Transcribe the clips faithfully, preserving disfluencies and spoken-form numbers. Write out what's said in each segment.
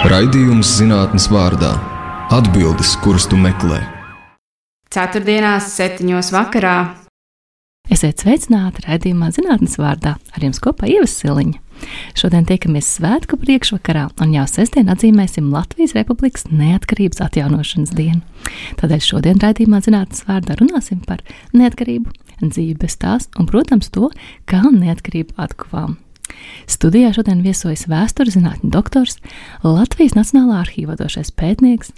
Raidījums zinātnes vārdā – atbildes, kuras tu meklē. Ceturtdienās septiņos vakarā. Esiet sveicināti raidījumā zinātnes vārdā, ar jums kopā Ieva Siliņa. Šodien tiekamies svētku priekšvakarā un jau sestdien atzīmēsim Latvijas Republikas neatkarības atjaunošanas dienu. Tādēļ šodien raidījumā zinātnes vārdā runāsim par neatkarību, dzīvi bez tās un, protams, to, kā neatkarību atkuvām. Studijā šodien viesojas vēstures zinātņu doktors, Latvijas Nacionālā arhīva vadošais pētnieks,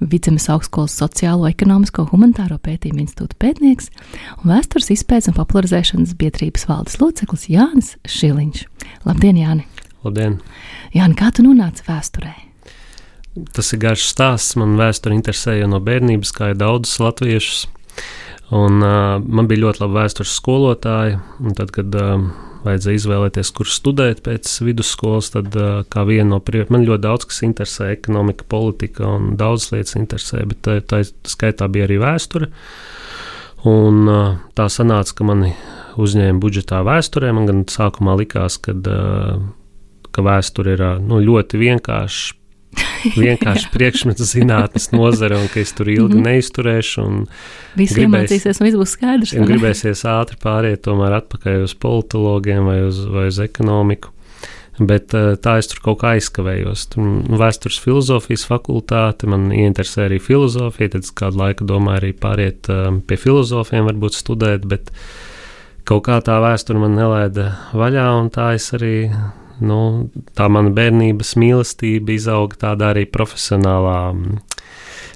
Vidzemes augstskolas sociālo, ekonomisko, humanitāro pētījumu institūta pētnieks un vēstures izpētes un popularizēšanas biedrības valdes loceklis Jānis Šiliņš. Labdien, Jāni! Labdien! Jāni, kā tu nonāci vēsturē? Tas ir garš stāsts. Man vēsture interesēja no bērnības, kā ir daudzus latviešus. Un, uh, man bija ļoti labi vēstures skolotāji. Un tad, kad uh, vajadzēja izvēlēties, kur studēt pēc vidusskolas, tad uh, kā viena no prioritātēm, man ļoti daudz kas interesē, ekonomika, politika un daudz lietas interesē, bet tā, tā skaitā bija arī vēsture. Un uh, tā sanāca, ka mani uzņēma budžetā vēsturē. Man gan sākumā likās, kad, uh, ka vēsture ir uh, nu, ļoti vienkārši. vienkārši priekšmets zinātnes nozare un ka es tur ilgi mm-hmm. neizturēšu. Viss iemācīsies un viss būs skaidrs. Un gribēsies ātri pāriet tomēr atpakaļ uz politologiem vai uz, vai uz ekonomiku. Bet tā es tur kaut kā aizkavējos. Tur vēstures filozofijas fakultāte, man ieinteresē arī filozofija, tad kādu laiku domāju arī pāriet pie filozofiem varbūt studēt, bet kaut kā tā vēsture man nelaida vaļā un tā es arī... Nu, tā mana bērnības mīlestība izauga tādā arī profesionālā,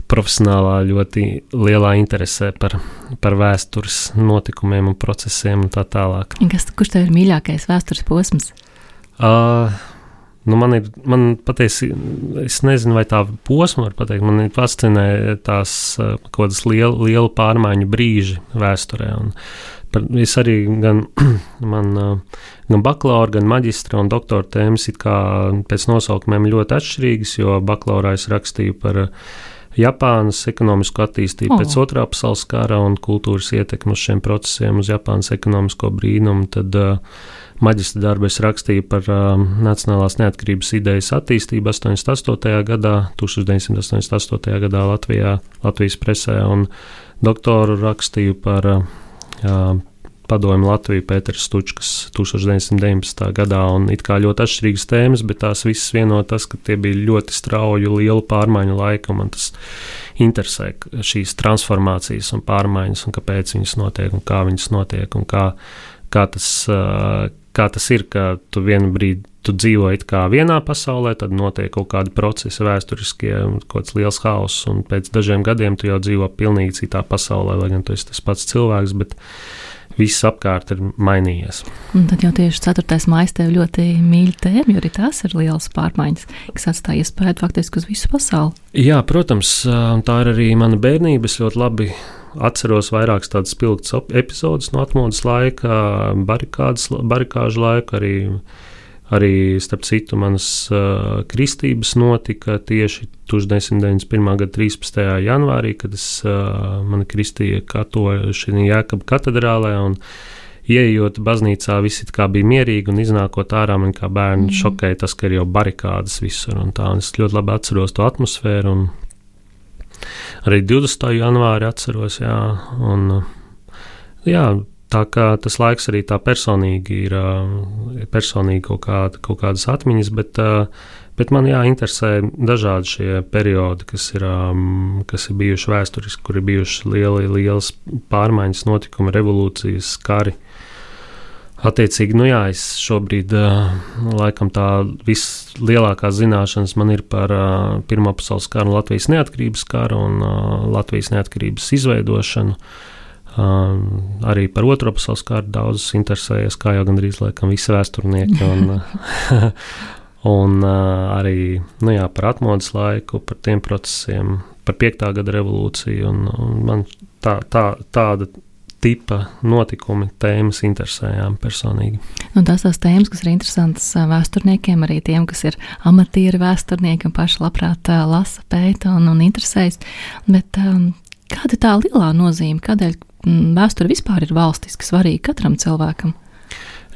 profesionālā ļoti lielā interesē par, par vēstures notikumiem un procesiem un tā tālāk. Kas, kurš tev ir mīļākais vēstures posms? Uh, nu man ir, man patiesi, es nezinu, vai tā posma var pateikt, man fascinē tās uh, kaut kādas lielu, lielu pārmaiņu brīži vēsturē un par, es arī gan, man, gan bakalaura, gan maģistra un doktora tēmas it kā pēc nosaukumiem ļoti atšķirīgas, jo bakalaurā es rakstīju par Japānas ekonomisko attīstību oh. pēc otrā pasaules kara un kultūras ietekmi uz šiem procesiem, uz Japānas ekonomisko brīnumu. Tad uh, maģistra darbu es rakstīju par uh, nacionālās neatkarības idejas attīstību astoņdesmit astotajā gadā, deviņdesmit astotajā gadā Latvijā, Latvijas presē, un doktoru rakstīju par uh, Jā, padomju Latviju Pēters Stučkas deviņdesmit deviņpadsmitajā gadā, un it kā ļoti atšķirīgas tēmas, bet tās visas vieno tas, ka tie bija ļoti strauju, lielu pārmaiņu laika, un man tas interesē šīs transformācijas un pārmaiņas, un kāpēc viņas notiek, un kā viņas notiek, un kā, kā, tas, kā tas ir, ka tu vienu brīdi tu dzīvo it kā vienā pasaulē, tad notiek kaut kādi procesi vēsturiskie, kaut kāds liels hauss, un pēc dažiem gadiem tu jau dzīvo pilnīgi citā pasaulē, lai gan tu esi tas pats cilvēks, bet viss apkārt ir mainījies. Un tad jau tieši ceturtais maijs tev ļoti mīļa tēma, jo arī tās ir lielas pārmaiņas, kas atstāja iespēju faktiski uz visu pasauli. Jā, protams, tā ir arī mana bērnība. Es ļoti labi atceros vairākas tādas spilgtas epizodes no atmodas laika, barikādas, barikāžu laika, arī Arī, starp citu, manas uh, kristības notika tieši deviņdesmit deviņdesmit pirmā gada trīspadsmitajā janvārī, kad es, uh, mani kristīja katoļi šī Jēkaba katedrālē, un ieejot baznīcā visi kā bija mierīgi, un iznākot ārā man kā bērni mm. šokēja tas, ka ir jau barikādas visur, un tā, un es ļoti labi atceros to atmosfēru, un arī divdesmitā janvāri atceros, jā, un jā, tā kā tas laiks arī tā personīgi ir, personīgi kaut, kāda, kaut kādas atmiņas, bet, bet man jā, interesē dažādi šie periodi, kas ir, kas ir bijuši vēsturiski, kur ir bijuši lieli, lielas pārmaiņas, notikumi, revolūcijas, kari. Attiecīgi, nu jā, es šobrīd laikam tā vislielākās zināšanas man ir par Pirmā pasaules karu un Latvijas neatkarības karu un Latvijas neatkarības izveidošanu. Uh, arī par Otro pasaules karu daudzus interesējies, kā jau gandrīz laikam visi vēsturnieki, un, un uh, arī nu jā, par atmodas laiku, par tiem procesiem, par piektā gada revolūciju, un, un man tā, tā, tāda tipa notikumi, tēmas interesējām personīgi. Un tās tās tēmas, kas ir interesantas vēsturniekiem, arī tiem, kas ir amatieri vēsturnieki un paši labprāt lasa, pēta un, un interesējas, bet um, kāda tā lielā nozīme, kādēļ vēsture vispār ir valstiski svarīga katram cilvēkam?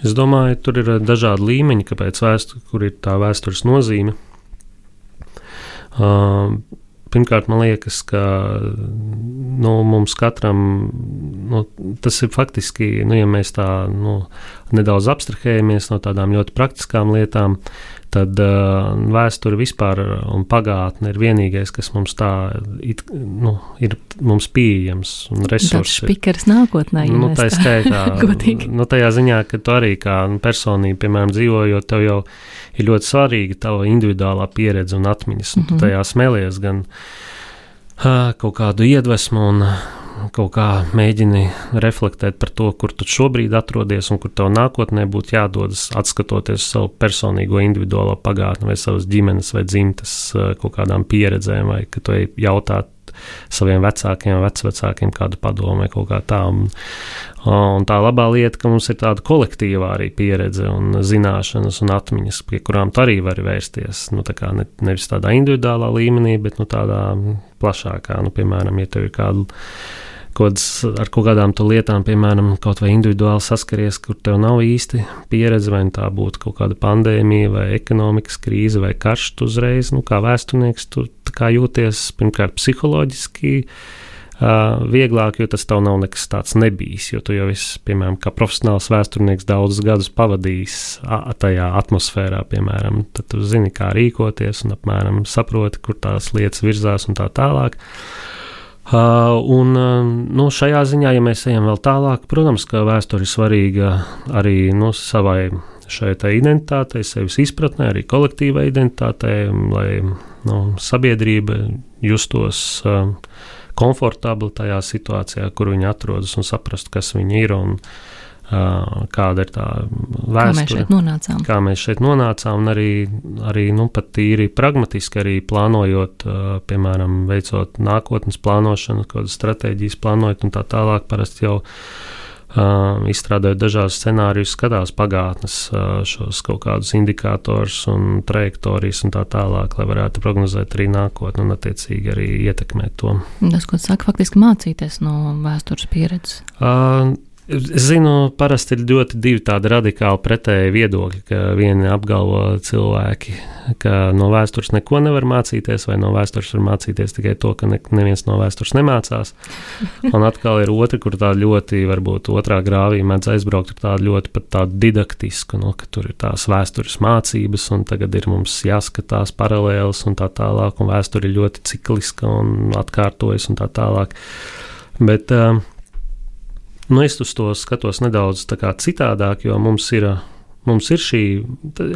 Es domāju, tur ir dažādi līmeņi, kāpēc vēsture, kur ir tā vēstures nozīme. Uh, Pirmkārt, man liekas, ka nu, mums katram nu, tas ir faktiski, nu, ja mēs tā nu, nedaudz abstrahējamies no tādām ļoti praktiskām lietām, tad uh, vēsture vispār un pagātne ir vienīgais, kas mums tā it, nu, ir mums pieejams un resursi. Tāds špikers nākotnē, ja nu, mēs tā skaitā, godīgi. Nu, tajā ziņā, ka tu arī kā personība, piemēram, dzīvojot, tev jau ir ļoti svarīga tava individuālā pieredze un atmiņas, un mm-hmm. tu tajā smelies gan uh, kaut kādu iedvesmu un kaut kā mēģini reflektēt par to, kur tu šobrīd atrodies un kur tev nākotnē būtu jādodas, atskatoties savu personīgo individuālo pagātni vai savas ģimenes vai dzimtes kaut kādām pieredzēm, vai ka tu jautāt saviem vecākiem vai vecvecākiem kādu padomu vai kaut kā tā. Un, un tā labā lieta, ka mums ir tāda kolektīvā arī pieredze un zināšanas un atmiņas, pie kurām tu arī vari vērsties. Nu, tā kā ne, nevis tādā individuālā līmenī, bet nu, tādā plašākā. Nu, piemēram, ja tev ir kāda Kods, ar kaut kādām lietām, piemēram, kaut vai individuāli saskaries, kur tev nav īsti pieredze, vai tā būtu kaut kāda pandēmija, vai ekonomikas krīze, vai karš, tu uzreiz, nu, kā vēsturnieks, tu kā jūties pirmkārt psiholoģiski uh, vieglāk, jo tas tev nav nekas tāds nebijis, jo tu jau esi, piemēram, kā profesionāls vēsturnieks daudzus gadus pavadījis a, tajā atmosfērā, piemēram, tad tu zini, kā rīkoties un apmēram saproti, kur tās lietas virzās un tā tālāk. Uh, un uh, nu, šajā ziņā, ja mēs ejam vēl tālāk, protams, ka vēsture ir svarīga arī nu, savai šai identitātei, sevis izpratnē, arī kolektīvai identitātei, lai nu, sabiedrība justos uh, komfortabli tajā situācijā, kur viņi atrodas un saprastu, kas viņi ir un uh, kāda ir tā vēsture. Kā mēs šeit nonācām. Kā mēs šeit nonācām un arī, arī nu, pat tīri pragmatiski arī plānojot, uh, piemēram, veicot nākotnes plānošanu, kādas stratēģijas plānojot un tā tālāk, parasti jau uh, izstrādājot dažādus scenārijus, skatās pagātnes uh, šos kaut kādus indikātors un trajektorijas un tā tālāk, lai varētu prognozēt arī nākotni un attiecīgi arī ietekmēt to. Tas, ko saka, faktiski mācīties no vēstures pieredzes. Uh, Es zinu, parasti ir ļoti divi tādi radikāli pretēji viedokļi, ka vieni apgalvo cilvēki, ka no vēstures neko nevar mācīties, vai no vēstures var mācīties tikai to, ka ne, neviens no vēstures nemācās. Un atkal ir otri, kur tā ļoti, varbūt otrā grāvī mēdz aizbraukt ar tādu ļoti pat tādu didaktisku, no, ka tur ir tās vēstures mācības, un tagad ir mums jāskatās paralēlas un tā tālāk, un vēsture ir ļoti cikliska un atkārtojas un tā tālāk. Bet uh, Nu, es uz to skatos nedaudz tā kā citādāk, jo mums ir, mums ir šī,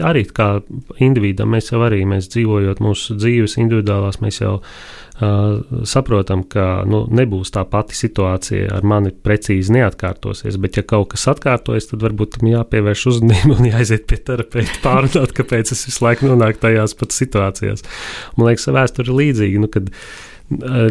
arī kā individam, mēs jau arī, mēs dzīvojot mūsu dzīves individuālās, mēs jau uh, saprotam, ka nu, nebūs tā pati situācija ar mani precīzi neatkārtosies, bet ja kaut kas atkārtojas, tad varbūt tam jāpievērš uzmanību un jāaiziet pie terapeita pārunāt, kāpēc es visu laiku nonāku tajās pat situācijās. Man liekas, vēsture ir līdzīga, nu, kad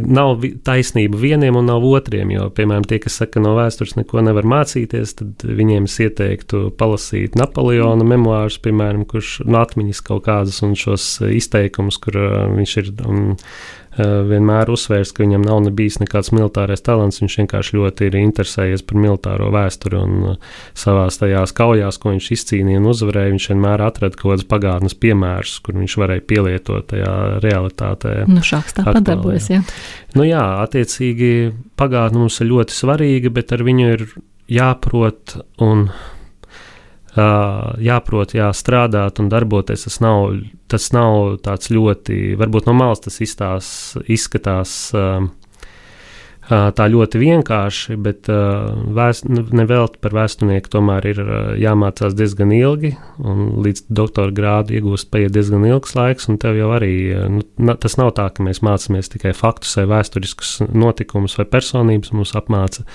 nav taisnība vieniem un nav otriem, jo, piemēram, tie, kas saka, no vēstures neko nevar mācīties, tad viņiem es ieteiktu palasīt Napoleona memoārus, piemēram, kurš no atmiņas kaut kādas un šos izteikumus, kur uh, viņš ir um, uh, vienmēr uzsvērs, ka viņam nav nebijis nekāds militārais talants, viņš vienkārši ļoti ir interesējies par militāro vēsturi un uh, savās tajās kaujās, ko viņš izcīnīja un uzvarēja, viņš vienmēr atrada kaut kādas pagātnes piemērus, kur viņš varēja pielietot tajā realitātē. Nu, šāks tā padarbojas. Jā. Nu jā, attiecīgi pagātne mums ir ļoti svarīga, bet ar viņu ir jāprot un uh, jāprot, jā, strādāt un darboties. Tas nav, tas nav tāds ļoti, varbūt no malas tas izstās, izskatās uh, tā ļoti vienkārši, bet vēst, nevelti par vēsturnieku tomēr ir jāmācās diezgan ilgi, un līdz doktora grādu iegūst paiet diezgan ilgs laiks, un tev jau arī, nu, tas nav tā, ka mēs mācāmies tikai faktus vai vēsturiskus notikumus vai personības, mums apmāca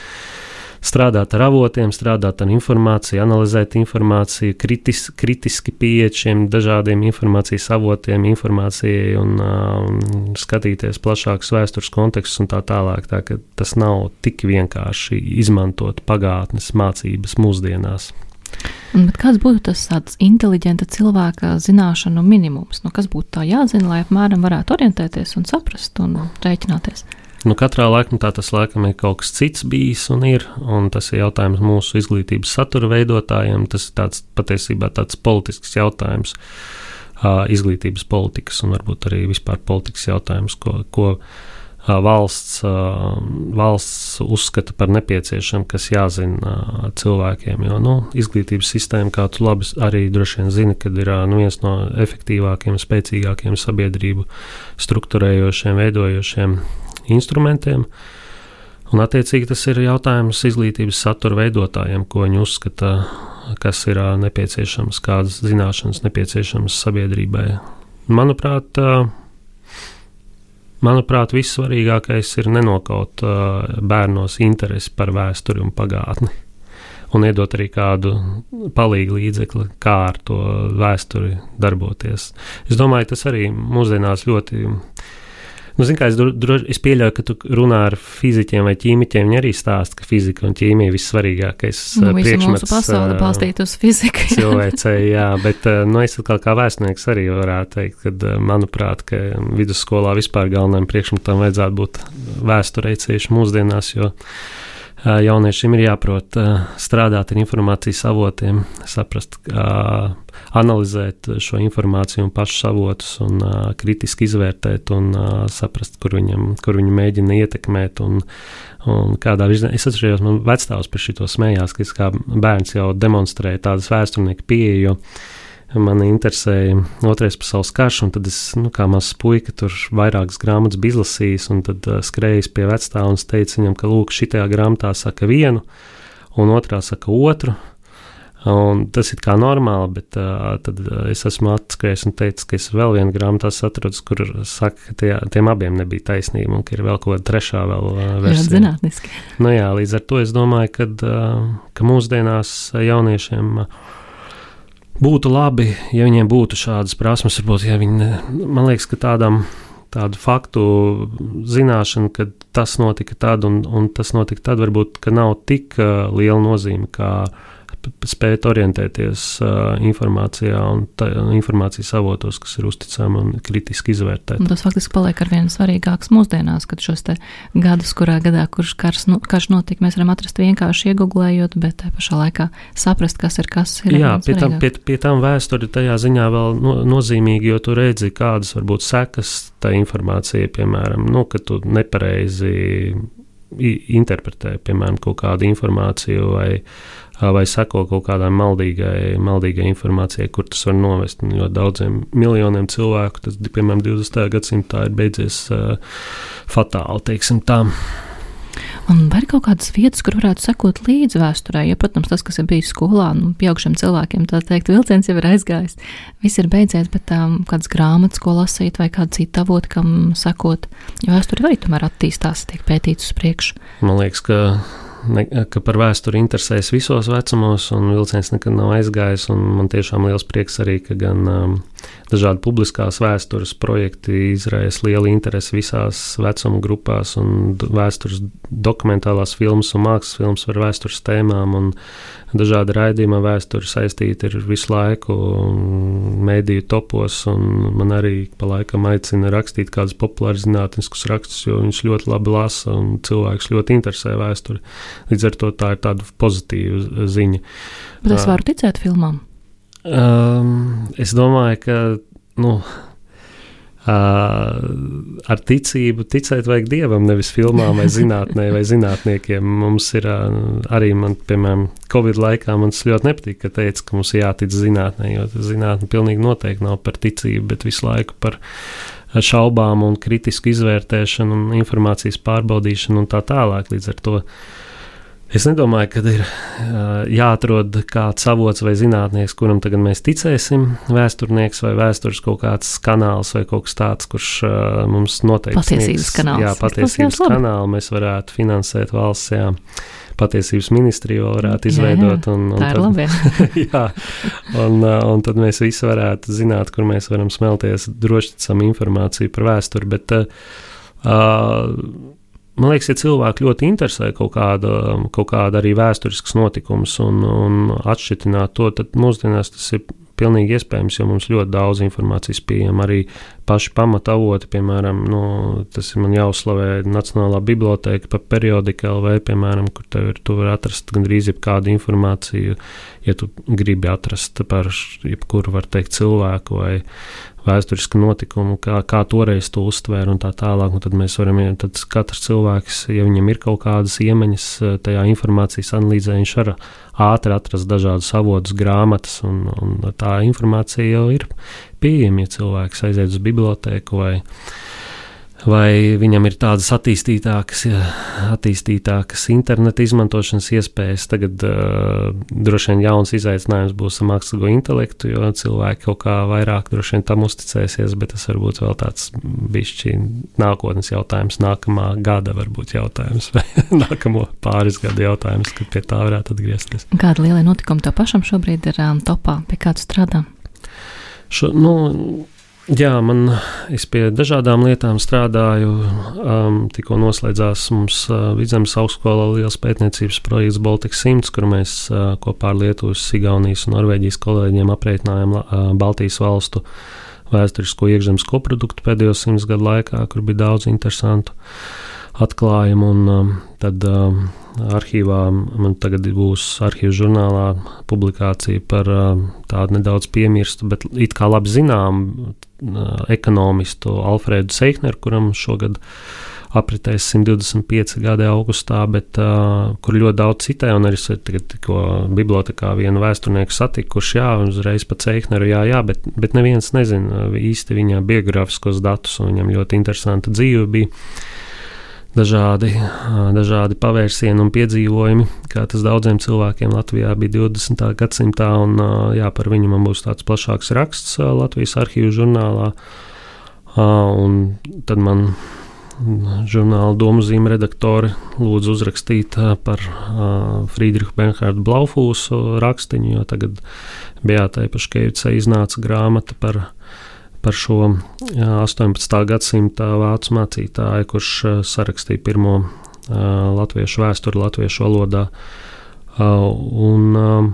strādāt ar avotiem, strādāt ar informāciju, analizēt informāciju, kritis, kritiski pieiet šiem dažādiem informācijas avotiem, informācijai un uh, skatīties plašākus vēstures kontekstus un tā tālāk. Tā, ka tas nav tik vienkārši izmantot pagātnes mācības mūsdienās. Bet kāds būtu tas tāds inteliģenta cilvēka zināšanu minimums? Nu, kas būtu tā jāzina, lai apmēram varētu orientēties un saprast un rēķināties? Nu, katrā laikmetā tas laikam ir kaut kas cits bijis un ir, un tas ir jautājums mūsu izglītības satura veidotājiem, tas ir tāds patiesībā tāds politisks jautājums. uh, izglītības politikas un varbūt arī vispār politikas jautājumus, ko, ko uh, valsts, uh, valsts uzskata par nepieciešamu, kas jāzina uh, cilvēkiem. Jo nu, izglītības sistēma, kā tu labi arī droši vien zini, kad ir uh, nu, viens no efektīvākiem, spēcīgākiem sabiedrību strukturējošiem, veidojošiem instrumentiem. Un, attiecīgi, tas ir jautājums izglītības satura veidotājiem, ko viņi uzskata, kas ir nepieciešams, kādas zināšanas nepieciešamas sabiedrībai. Manuprāt, manuprāt, vissvarīgākais ir nenokaut bērnos interesi par vēsturi un pagātni. Un iedot arī kādu palīgu līdzekli, kā ar to vēsturi darboties. Es domāju, tas arī mūsdienās ļoti... Nu, zin, kā, es, droši, es pieļauju, ka tu runā ar fiziķiem vai ķīmiķiem, viņi arī stāsta, ka fizika un ķīmija ir vissvarīgākais nu, priekšmets. Mūsu pasaule balstīt uz fiziku. Cilvēcei, jā, bet nu, es atkal kā vēstnieks arī varētu teikt, ka manuprāt, ka vidusskolā vispār galvenajam priekšmetam vajadzētu būt vēsturei ceļš mūsdienās, jo jauniešiem ir jāprot strādāt ar informācijas avotiem, saprast, analizēt šo informāciju un pašus avotus un kritiski izvērtēt un saprast, kur viņam, kur viņu mēģina ietekmēt un, un kādā virzienā. Es atceros, man vectāvs par šito smējās, ka es kā bērns jau demonstrēju tādas vēsturnieku pieeju, jo mani interesēja Otrais pasaules karš, un tad es, nu, kā mazs puika, tur vairākas grāmatas bija izlasījis, un tad uh, skrējis pie vectāva un teica viņam, ka, lūk, šitajā grāmatā saka vienu, un otrā saka otru, un tas ir kā normāli, bet uh, tad uh, es esmu atskrējis un teicis, ka es vēl vienu grāmatā atrodus, kur saka, ka tie, tiem abiem nebija taisnība, un ka ir vēl kaut kāda trešā vēl uh, versija. Jā, zinātniski. Nu jā, līdz ar to es domāju, kad, uh, ka mūsdienās jauniešiem uh, būtu labi, ja viņiem būtu šādas prasmes, varbūt, ja viņi, man liekas, ka tādam, tādu faktu zināšanu, ka tas notika tad un, un tas notika tad, varbūt, ka nav tik uh, liela nozīme, kā spēt orientēties uh, informācijā un tā, informācijas avotos, kas ir uzticami un kritiski izvērtēt. Un tas faktiski paliek ar vien svarīgāks mūsdienās, kad šos te gadus, kurā gadā, kurš karš, nu, karš notika, mēs varam atrast vienkārši iegooglējot, bet tā pašā laikā saprast, kas ir kas. Ir Jā, pie tam, pie, pie tam vēsturi tajā ziņā vēl no, nozīmīgi, jo tu redzi, kādas varbūt sekas tā informācija, piemēram, nu, ka tu nepareizi interpretē, piemēram, kaut kādu informāciju vai vai seko kaut kādai maldīgai, maldīgai informācijai, kur tas var novest. Jo daudziem miljoniem cilvēku, tas, piemēram, divdesmitajā gadsimtā ir beidzies uh, fatāli, teiksim tā. Un vai ir kaut kādas vietas, kur varētu sekot līdz vēsturē? Ja, protams, tas, kas ir bijis skolā, nu, pieaugušiem cilvēkiem, tā teikt, vilciens jau ir aizgājis. Viss ir beidzies, bet um, kādas grāmatas, ko lasīt, vai kādu citu avotu, kam sekot, jo vēsture arī tomēr attīstās, tiek pētīts uz priekšu. Man liekas, ka Ne, ka par vēsturi interesēs visos vecumos, un vilciens nekad nav aizgājis, un man tiešām liels prieks arī, ka gan um, dažādi publiskās vēstures projekti izraisa lielu interesi visās vecuma grupās, un vēstures dokumentālās filmas un mākslas filmas par vēstures tēmām, un dažādi raidījuma vēsturi saistīti ir visu laiku mēdīju topos, un man arī pa laikam aicina rakstīt kādus populārus zinātniskus rakstus, jo viņš ļoti labi lasa, un cilvēks ļoti interesē vēsturi. Līdz ar to tā ir tāda pozitīva ziņa. Bet es varu ticēt filmām? Um, es domāju, ka nu, uh, ar ticību ticēt vajag Dievam, nevis filmām vai zinātnē vai zinātniekiem. Mums ir uh, arī, man, piemēram, Covid laikā man ļoti nepatīk, ka teica, ka mums jātic zinātnē, jo zinātne pilnīgi noteikti nav par ticību, bet visu laiku par šaubām un kritisku izvērtēšanu un informācijas pārbaudīšanu un tā tālāk. Līdz ar to es nedomāju, ka ir uh, jāatrod kāds avots vai zinātnieks, kuram tagad mēs ticēsim, vēsturnieks vai vēstures kaut kāds kanāls vai kaut kas tāds, kurš uh, mums noteikti patiesības sniegs, kanāls. Jā, patiesības kanālu mēs varētu finansēt valsts, jā. Patiesības ministriju varētu izveidot. Jā, jā, un, un tā ir tad, labi. jā, un, un tad mēs visi varētu zināt, kur mēs varam smelties drošticam informāciju par vēsturi, bet uh, uh, man liekas, ja cilvēki ļoti interesē kaut kāda, kaut kāda arī vēsturisks notikums un, un atšķitināt to, tad mūsdienās tas ir pilnīgi iespējams, jo mums ļoti daudz informācijas pieejama. Arī paši pamatavoti, piemēram, nu, tas ir man jāuzslavē Nacionālā biblioteka pa periodika L V, piemēram, kur tev ir, tu vari atrast gandrīz jebkādu informāciju, ja tu gribi atrast par jebkuru, var teikt, cilvēku vai vēsturisku notikumu, kā, kā toreiz to uztvēra un tā tālāk, un tad mēs varam, tad katrs cilvēks, ja viņam ir kaut kādas iemaņas tajā informācijas analīzē, viņš var ātri atrast dažādus avotus, grāmatas, un, un tā informācija jau ir pieejama, ja cilvēks aiziet uz bibliotēku vai vai viņam ir tādas attīstītākas, attīstītākas interneta izmantošanas iespējas. Tagad uh, droši vien jauns izaicinājums būs ar mākslīgo intelektu, jo cilvēki kaut kā vairāk droši vien tam uzticēsies, bet tas varbūt vēl tāds bišķi nākotnes jautājums, nākamā gada varbūt jautājums, vai nākamo pāris gadu jautājums, kad pie tā varētu atgriezties. Kāda lielie notikumi tev pašam šobrīd ir um, topā, pie kā tu strādā? Šo, nu, Jā, man, es pie dažādām lietām strādāju. Um, tikko noslēdzās mums uh, Vidzemes augstskolā liels pētniecības projekts Baltics simts, kur mēs uh, kopā ar Lietuvas, Igaunijas un Norvēģijas kolēģiem aprēķinājām uh, Baltijas valstu vēsturisko iekšzemes koproduktu pēdējo simts gadu laikā, kur bija daudz interesantu atklājumu. Un, um, tad um, arhīvā man tagad būs arhīvu žurnālā publikācija par um, tādu nedaudz piemirstu, bet it kā labi zinām ekonomistu Alfredu Seichneru, kuram šogad apritēs simt divdesmit pieci gadi augustā, bet uh, kur ļoti daudz citē, un arī tagad tikko bibliotekā vienu vēsturnieku satiku, kurš jā, uzreiz pa Seichneru, jā, jā, bet, bet neviens nezina īsti viņa biografiskos datus, un viņam ļoti interesanta dzīve bija. Dažādi, dažādi pavērsieni un piedzīvojumi, kā tas daudziem cilvēkiem Latvijā bija divdesmitā gadsimtā, un jā, par viņu man būs tāds plašāks raksts Latvijas arhīvu žurnālā, un tad man žurnāla domuzīme redaktori lūdzu uzrakstīt par Friedrichu Bernhardu Blaufūsu rakstiņu, jo tagad Beatai Paškevicai iznāca grāmata par par šo jā, astoņpadsmitā gadsimta vācu mācītāju, kurš uh, sarakstīja pirmo uh, latviešu vēsturi latviešu valodā. Uh, un, uh,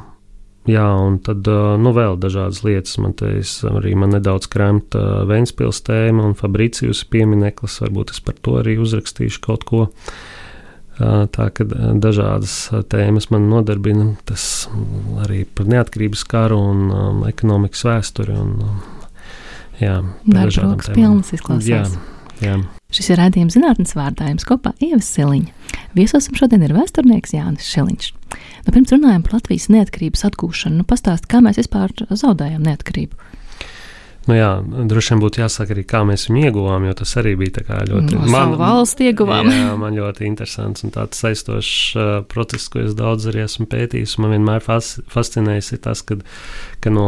jā, un tad uh, nu, vēl dažādas lietas. Man te es, arī man nedaudz kremta uh, Ventspils tēma un Fabricijus piemineklis. Varbūt es par to arī uzrakstīšu kaut ko. Uh, tā, ka dažādas tēmas man nodarbina. Tas arī par neatkarības karu un um, ekonomikas vēsturi un um, Jā, darba rokas pilnas izklausās. Jā, jā. Šis ir raidījums Zinātnes vārdā, jums kopā Ieva Siliņa. Viesosim šodien ir vēsturnieks Jānis Šiliņš. Nu, pirms runājam par Latvijas neatkarības atgūšanu, nu pastāst, kā mēs vispār zaudējām neatkarību. Nu jā, droši vien būtu jāsaka arī, kā mēs viņu ieguvām, jo tas arī bija tā kā ļoti... No savu valsti ieguvām. Jā, man ļoti interesants un tāds saistošs uh, process, ko es daudz arī esmu pētījis. Man vienmēr fas, fascinējis ir tas, kad, ka no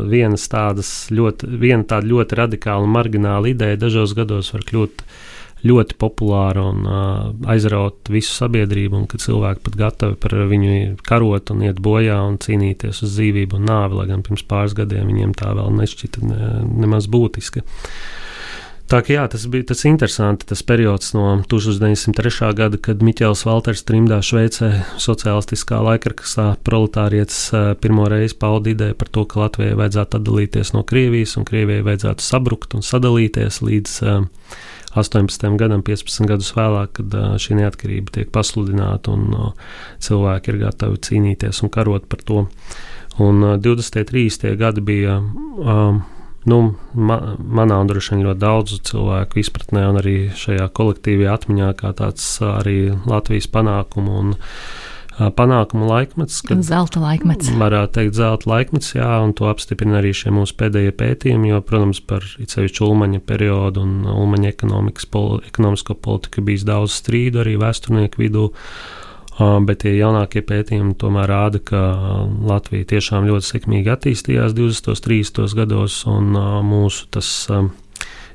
vienas tādas ļoti, viena tāda ļoti radikāla un margināla ideja dažos gados var kļūt ļoti populāra un uh, aizraut visu sabiedrību, un ka cilvēki pat gatavi par viņu karot un iet bojā un cīnīties uz dzīvību un nāvi, lai gan pirms pāris gadiem viņiem tā vēl nešķita ne, nemaz būtiska. Tā kā jā, tas bija tas interesanti, tas periods no tūkstoš deviņsimt trešā gada, kad Miķels Valters trimdā Šveicē sociālistiskā laikrakstā proletārietis pirmo reizi pauda ideju par to, ka Latvijai vajadzētu atdalīties no Krievijas un Krievijai vajadzētu sabrukt un sadalīties līdz uh, astoņpadsmitajam gadam, piecpadsmit gadus vēlāk, kad uh, šī neatkarība tiek pasludināta un uh, cilvēki ir gatavi cīnīties un karot par to. Un uh, divdesmitie, trīsdesmitie gadi bija uh, nu, ma, manā un droši vien ļoti daudzu cilvēku izpratnē un arī šajā kolektīvajā atmiņā kā tāds uh, arī Latvijas panākumu un panākumu laikmets. Zelta laikmets. Varētu teikt zelta laikmets, jā, un to apstiprina arī šie mūsu pēdējie pētījumi, jo, protams, par itsevišķu Ulmaņa periodu un Ulmaņa ekonomikas, poli, ekonomisko politiku bijis daudz strīdu arī vēsturnieku vidū, bet tie jaunākie pētījumi tomēr rāda, ka Latvija tiešām ļoti sekmīgi attīstījās divdesmitos, trīsdesmitos gados, un mūsu tas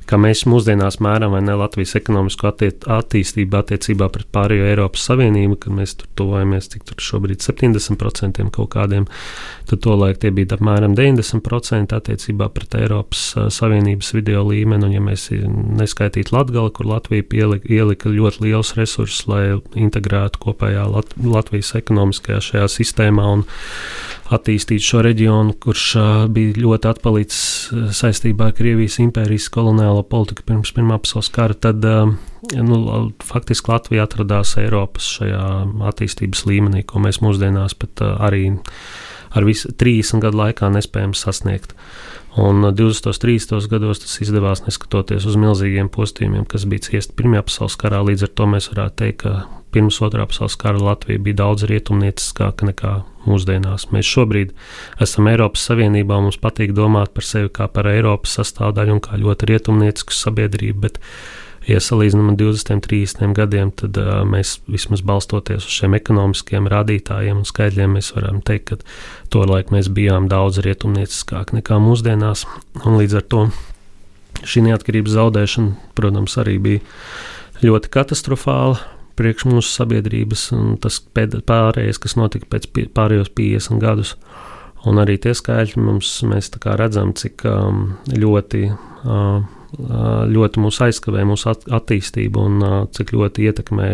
kā mēs mūsdienās mēram vai ne Latvijas ekonomisko attiet, attīstību attiecībā pret pārējo Eiropas Savienību, kad mēs tur tuvojamies, cik tur šobrīd septiņdesmit procenti kaut kādiem, tad tolaik tie bija apmēram deviņdesmit procenti attiecībā pret Eiropas Savienības video līmeni, un ja mēs neskaitītu Latgali, kur Latvija pielika, ielika ļoti liels resursus, lai integrētu kopējā Lat- Latvijas ekonomiskajā šajā sistēmā un attīstīt šo reģionu, kurš bija ļoti atpalicis saistībā ar Krievijas impērijas koloniālo politiku pirms Pirmā pasaules kara, tad nu, faktiski Latvija atradās Eiropas šajā attīstības līmenī, ko mēs mūsdienās pat arī ar visu trīsdesmit gadu laikā nespējam sasniegt. Un divdesmitos, trīsdesmitos gados tas izdevās neskatoties uz milzīgiem postījumiem, kas bija ciesti Pirmajā pasaules karā. Līdz ar to mēs varētu teikt, ka pirms Otrā pasaules kara Latvija bija daudz rietumnieciskāka nekā mūsdienās. Mēs šobrīd esam Eiropas Savienībā, mums patīk domāt par sevi kā par Eiropas sastāvdaļu un kā ļoti rietumniecisku sabiedrību, bet ja salīdzinām ar divdesmit, trīsdesmit gadiem, tad uh, mēs vismaz balstoties uz šiem ekonomiskiem rādītājiem un skaidļiem, mēs varam teikt, ka tolaik mēs bijām daudz rietumnieciskāk nekā mūsdienās. Un līdz ar to šī neatkarības zaudēšana, protams, arī bija ļoti katastrofāla priekš mūsu sabiedrības, un tas pārējais, kas notika pēc pārējos piecdesmit gadus. Un arī tie skaidļi mums, mēs tā kā redzam, cik um, ļoti uh, ļoti mūs aizskavē mūsu attīstību un uh, cik ļoti ietekmē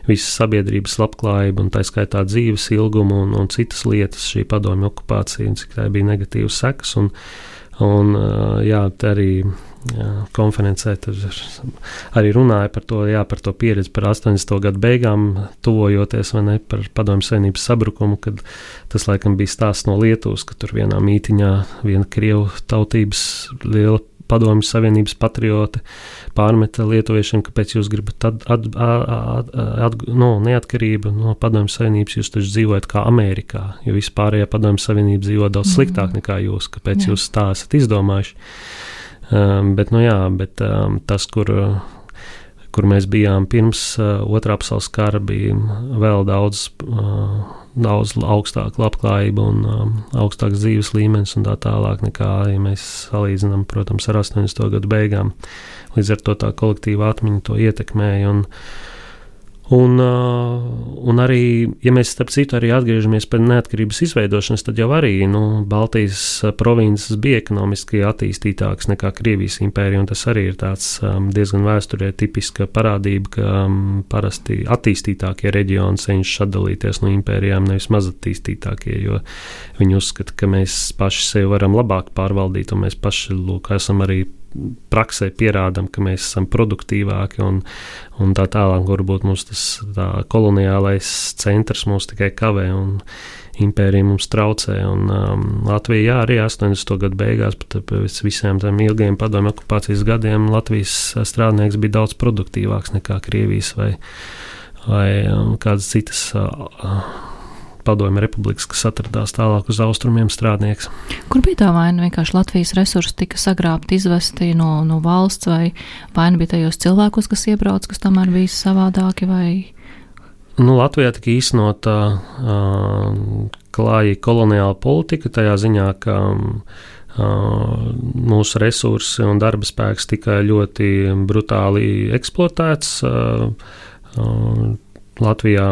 visas sabiedrības labklājību un tā skaitā dzīves ilgumu un, un citas lietas šī padomju okupācija, un cik tā bija negatīvas sekas. Un, un uh, jā, arī jā, konferencē arī runāja par to, jā, par to pieredzi par astoņdesmito gadu beigām, tuvojoties vai ne, par padomju savienības sabrukumu, kad tas laikam bija stāsts no Lietuvas, ka tur vienā mītiņā viena krievu tautības liela padomju savienības patrioti pārmeta lietuviešiem, kāpēc jūs gribat at, at, at, at, no, neatkarību no padomju savienības, jūs taču dzīvojat kā Amerikā, jo vispārējā padomju savienība dzīvo daudz sliktāk nekā jūs, kāpēc jā. Jūs tā esat izdomājuši. Um, bet, nu jā, bet um, tas, kur, kur mēs bijām pirms uh, Otrā pasaules kara, bija vēl daudz uh, daudz augstāka labklājība un um, augstāks dzīves līmenis un tā tālāk nekā, ja mēs salīdzinām, protams, ar astoņdesmito gadu beigām. Līdz ar to tā kolektīva atmiņa to ietekmēja. Un, un, uh, un arī, ja mēs starp citu arī atgriežamies pie neatkarības izveidošanas, tad jau arī nu, Baltijas provinces bija ekonomiski attīstītākas nekā Krievijas impērija, un tas arī ir tāds um, diezgan vēsturē tipiska parādība, ka um, parasti attīstītākie reģioni cenšas atdalīties no impērijām, nevis mazattīstītākie, jo viņi uzskata, ka mēs paši sevi varam labāk pārvaldīt, un mēs paši, lūk, esam arī praksē pierādam, ka mēs esam produktīvāki un, un tā tālāk, varbūt mums tas tā koloniālais centrs mūs tikai kavē un impērija mums traucē. Un um, Latvija, jā, arī astoņdesmito gadu beigās, pat pēc visiem tiem ilgiem padomju okupācijas gadiem, Latvijas strādnieks bija daudz produktīvāks nekā Krievijas vai, vai um, kādas citas uh, padomju republikas, kas atradās tālāk uz austrumiem strādnieks. Kur bija tā vaina? Vienkārši Latvijas resursi tika sagrābti, izvesti no, no valsts, vai vaina bija tajos cilvēkos, kas iebrauc, kas tomēr bija savādāki, vai? Nu, Latvijā tika īstenota uh, klāja koloniāla politika, tajā ziņā, ka uh, mūsu resursi un darba spēks tika ļoti brutāli eksploatēts. Uh, uh, Latvijā,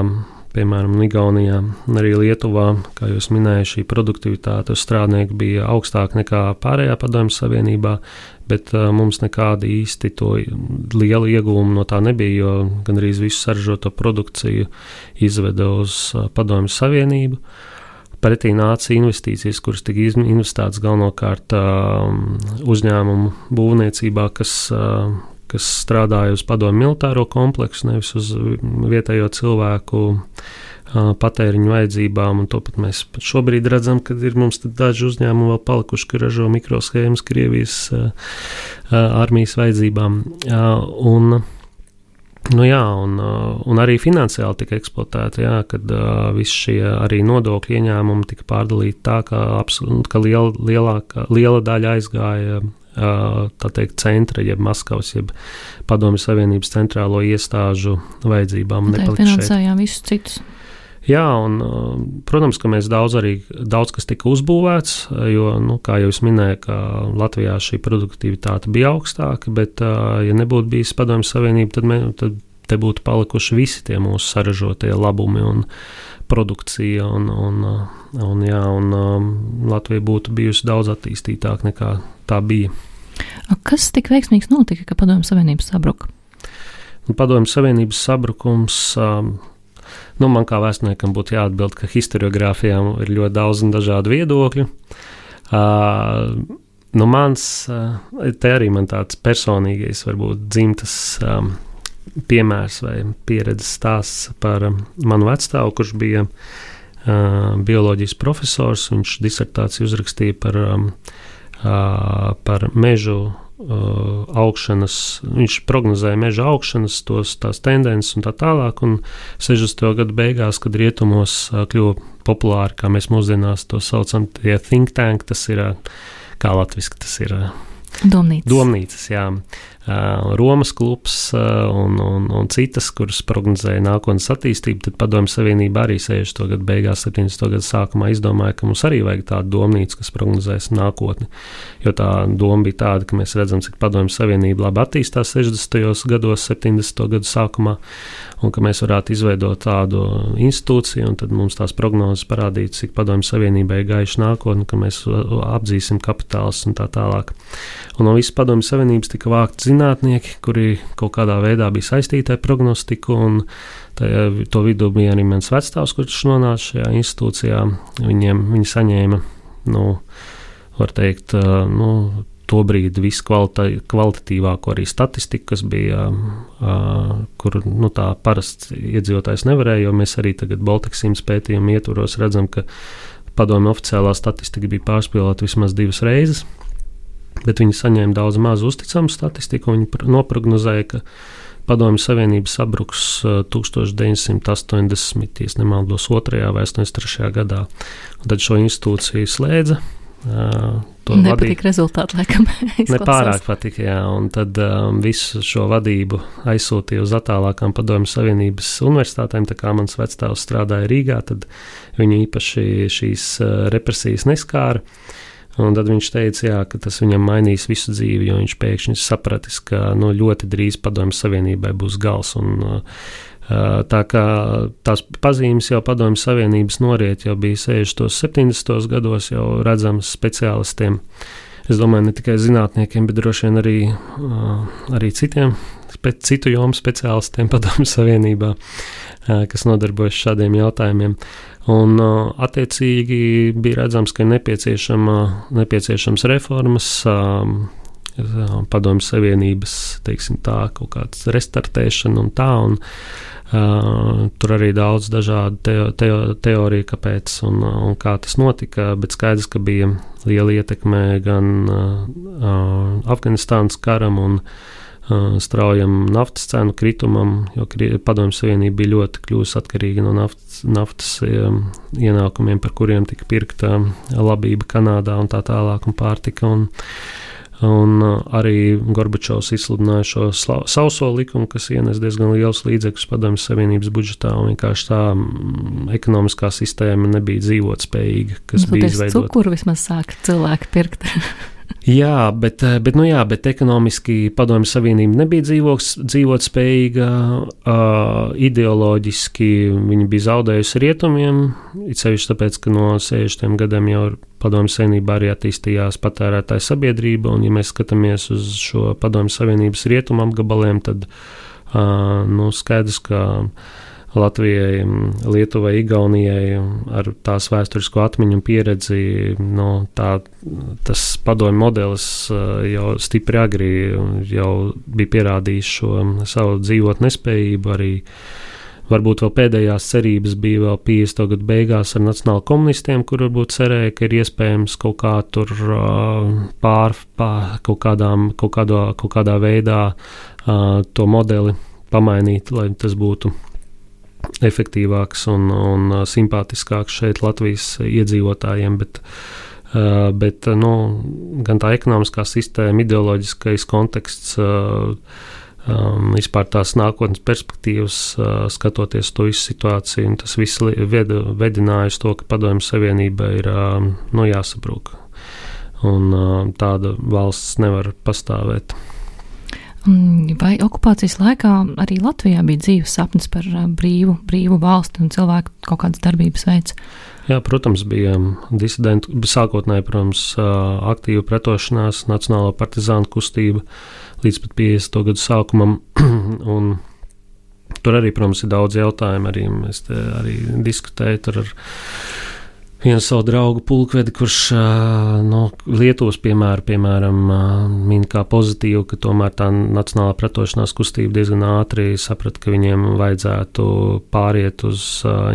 piemēram, Igaunijā un arī Lietuvā, kā jūs minējāt, šī produktivitāte uz strādnieku bija augstāka nekā pārējā padomju savienībā, bet uh, mums nekāda īsti to liela ieguvuma no tā nebija, jo gandrīz visu saražoto produkciju izveda uz uh, padomju savienību. Pretī nāca investīcijas, kuras tika investētas galvenokārt uh, uzņēmumu būvniecībā, kas uh, kas strādāja uz padomju militāro kompleksu, nevis uz vietējo cilvēku uh, patēriņu vajadzībām, un to pat mēs pat šobrīd redzam, kad ir mums daži uzņēmumi vēl palikuši, ka ražo mikroshēmas Krievijas uh, uh, armijas vajadzībām. Uh, un, nu jā, un, uh, un arī finansiāli tika eksploatēti, jā, kad uh, visi šie arī nodokļu ieņēmumi tika pārdalīti tā, ka, absol- ka liela, lielāka, liela daļa aizgāja tā teikt, centra, jeb Maskavas, jeb Padomju Savienības centrālo iestāžu vajadzībām. Tā finansējām visus citus. Jā, un, protams, ka mēs daudz arī, daudz kas tika uzbūvēts, jo, nu, kā jau es minēju, ka Latvijā šī produktivitāte bija augstāka, bet, ja nebūtu bijis Padomju Savienība, tad, mē, tad te būtu palikuši visi tie mūsu saražotie labumi un produkcija, un, un, un, jā, un um, Latvija būtu bijusi daudz attīstītāka nekā tā bija. Kas tik veiksmīgs notika, ka Padomju Savienības sabruka? Padomju Savienības sabrukums um, nu, man kā vēsturniekam būtu jāatbild, ka historiogrāfijām ir ļoti daudz un dažādu viedokļu. Uh, nu mans, uh, te arī man tāds personīgais, varbūt dzimtas um, piemērs vai pieredzes stāsts par um, manu vecstāvu, kurš bija uh, bioloģijas profesors. Viņš disertāciju uzrakstīja par, um, uh, par mežu Uh, augšanas, viņš prognozēja meža augšanas, tos, tās tendences un tā tālāk, un sešdesmito gadu beigās, kad rietumos uh, kļuva populāri, kā mēs mūsdienās to saucam, tie think tank, tas ir, uh, kā latviski, tas ir uh, Domnīcas. Domnīcas, jā. Uh, Romas klubs uh, un, un, un citas, kuras prognozēja nākotnes attīstību, tad Padomju Savienība arī sešdesmito gadu beigās, septiņdesmito gadu sākumā izdomāja, ka mums arī vajag tādu domnīcu, kas prognozēs nākotni. Jo tā doma bija tāda, ka mēs redzam, cik Padomju Savienība labi attīstās sešdesmitajos gados, septiņdesmito gadu sākumā, un ka mēs varētu izveidot tādu institūciju, un tad mums tās prognozes parādītu, cik Padomju Savienībai ir gaiša nākotne, ka mēs apdzīsim kapitālus un tā tālāk. Un no visas Padomju Savienības tika vākti zinātnieki, kuri kaut kādā veidā bija saistīti ar prognostiku, un tajā, to vidū bija arī mans vecstāvs, kurš nonāca šajā institūcijā. Viņiem, viņi saņēma, nu, var teikt, nu, to brīdi visu kvalita, kvalitatīvāko arī statistiku, kas bija, uh, kur, nu, tā parasts iedzīvotājs nevarēja, jo mēs arī tagad Baltiksīmas pētījumu ietvaros redzam, ka padomju oficiālā statistika bija pārspīlēta vismaz divas reizes. Bet viņi saņēma daudz maz uzticamu statistiku, un viņi noprognozēja, ka Padomju Savienība sabruks tūkstoš deviņsimt astoņdesmit, ja nemaldos, otrajā vai astoņdesmit trešajā gadā. Un tad šo institūciju slēdza. Nepatīk rezultāti, laikam. Nepārāk patika, jā, un tad um, visu šo vadību aizsūtīja uz attālākām Padomju Savienības universitātēm, tā kā mans vecstāvs strādāja Rīgā, tad viņu īpaši šīs uh, represijas neskāra. Un tad viņš teica, jā, ka tas viņam mainīs visu dzīvi, jo viņš pēkšņi sapratis, ka nu, ļoti drīz Padomju Savienībai būs gals. Un, tā kā tās pazīmes jau Padomju Savienības noriet jau bija sešdesmitos, septiņdesmitos gados jau redzams speciālistiem. Es domāju, ne tikai zinātniekiem, bet droši vien arī, arī citiem, citu jomu speciālistiem Padomju Savienībā, kas nodarbojas šādiem jautājumiem. Un attiecīgi bija redzams, ka ir nepieciešama, nepieciešams reformas, Padomju Savienības, teiksim tā, kaut kāds restartēšana un tā, un uh, tur arī daudz dažādu teo, teo, teoriju, kāpēc un, un kā tas notika, bet skaidrs, ka bija liela ietekme gan uh, Afganistānas karam un uh, straujam naftas cenu kritumam, jo Padomju Savienība bija ļoti kļūst atkarīga no naftas, naftas um, ienākumiem, par kuriem tika pirkta labība Kanādā un tā tālāk un pārtika, un Un arī Gorbačovs izsludināja šo sla- sauso likumu, kas ienes diezgan liels līdzekļus Padomju Savienības budžetā, un vienkārši tā m, ekonomiskā sistēma nebija dzīvotspējīga, kas nu, bija izveidota. Cukuru vismaz sāk cilvēki pirkt. Jā, bet, bet, nu jā, bet ekonomiski Padomju Savienība nebija dzīvoks, dzīvot spējīga, uh, ideoloģiski viņi bija zaudējusi rietumiem, it sevišķi tāpēc, ka no sešdesmitiem gadiem jau Padomju Savienībā arī attīstījās patērētāja sabiedrība, un ja mēs skatāmies uz šo Padomju Savienības rietumu apgabaliem, tad uh, nu, skaidrs, ka Latvijai, Lietuvai, Igaunijai ar tās vēsturisko atmiņu un pieredzi, no tā, tas padomju modelis jau stipri agri jau bija pierādījis šo savu dzīvot nespējību, arī varbūt vēl pēdējās cerības bija vēl piecdesmito gadu beigās ar nacionālu komunistiem, kur varbūt cerēja, ka ir iespējams kaut kā tur pār, pār kaut, kādām, kaut, kādā, kaut kādā veidā to modeli pamainīt, lai tas būtu efektīvāks un, un simpātiskāks šeit Latvijas iedzīvotājiem, bet, uh, bet nu, gan tā ekonomiskā sistēma, ideoloģiskais konteksts, uh, um, vispār tās nākotnes perspektīvas, uh, skatoties to visu situāciju, un tas viss ved, vedināja uz to, ka Padomju Savienība ir uh, nu, jāsabrūk. Un uh, tāda valsts nevar pastāvēt. Vai okupācijas laikā arī Latvijā bija dzīves sapnis par brīvu, brīvu valsti un cilvēku kaut kādas darbības veids? Jā, protams, bija disidenti, sākotnēji, protams, aktīva pretošanās, nacionālo partizānu kustība līdz pat piecdesmito gadu sākumam, un Tur arī, protams, ir daudz jautājumu. Arī es arī diskutēju tur ar vienu savu draugu pulkvedi, kurš no Lietuvas piemēru, piemēram, min kā pozitīvu, ka tomēr tā nacionālā pretošanās kustība diezgan ātri saprata, ka viņiem vajadzētu pāriet uz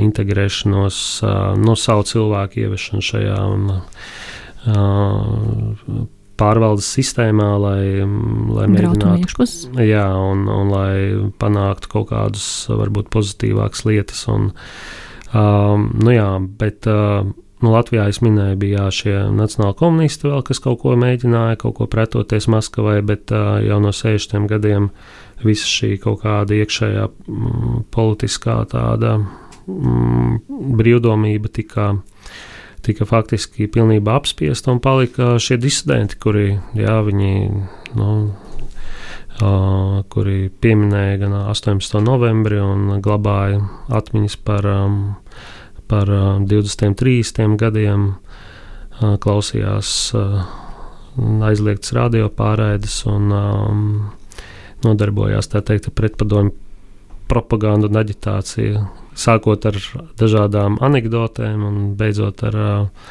integrēšanos, no savu cilvēku ieviešanu šajā un, pārvaldes sistēmā, lai, lai mēģinātu, jā, un, un lai panāktu kaut kādus varbūt pozitīvākas lietas. Un, um, nu jā, bet uh, nu Latvijā es minēju, bija jā, šie nacionāli komunisti vēl, kas kaut ko mēģināja, kaut ko pretoties Maskavai, bet uh, jau no sešdesmitiem gadiem visa šī kaut kāda iekšējā mm, politiskā tāda mm, brīvdomība tika tika faktiski pilnībā apspiesta un palika šie disidenti, kuri, jā, viņi, nu, uh, kuri pieminēja gan astoņpadsmito novembri un glabāja atmiņas par, um, par uh, divdesmit trīs gadiem, uh, klausījās uh, aizliegtas radio pārraides un um, nodarbojās, tā teikt, pretpadomju propagandu un aģitāciju, sākot ar dažādām anekdotēm un beidzot ar uh,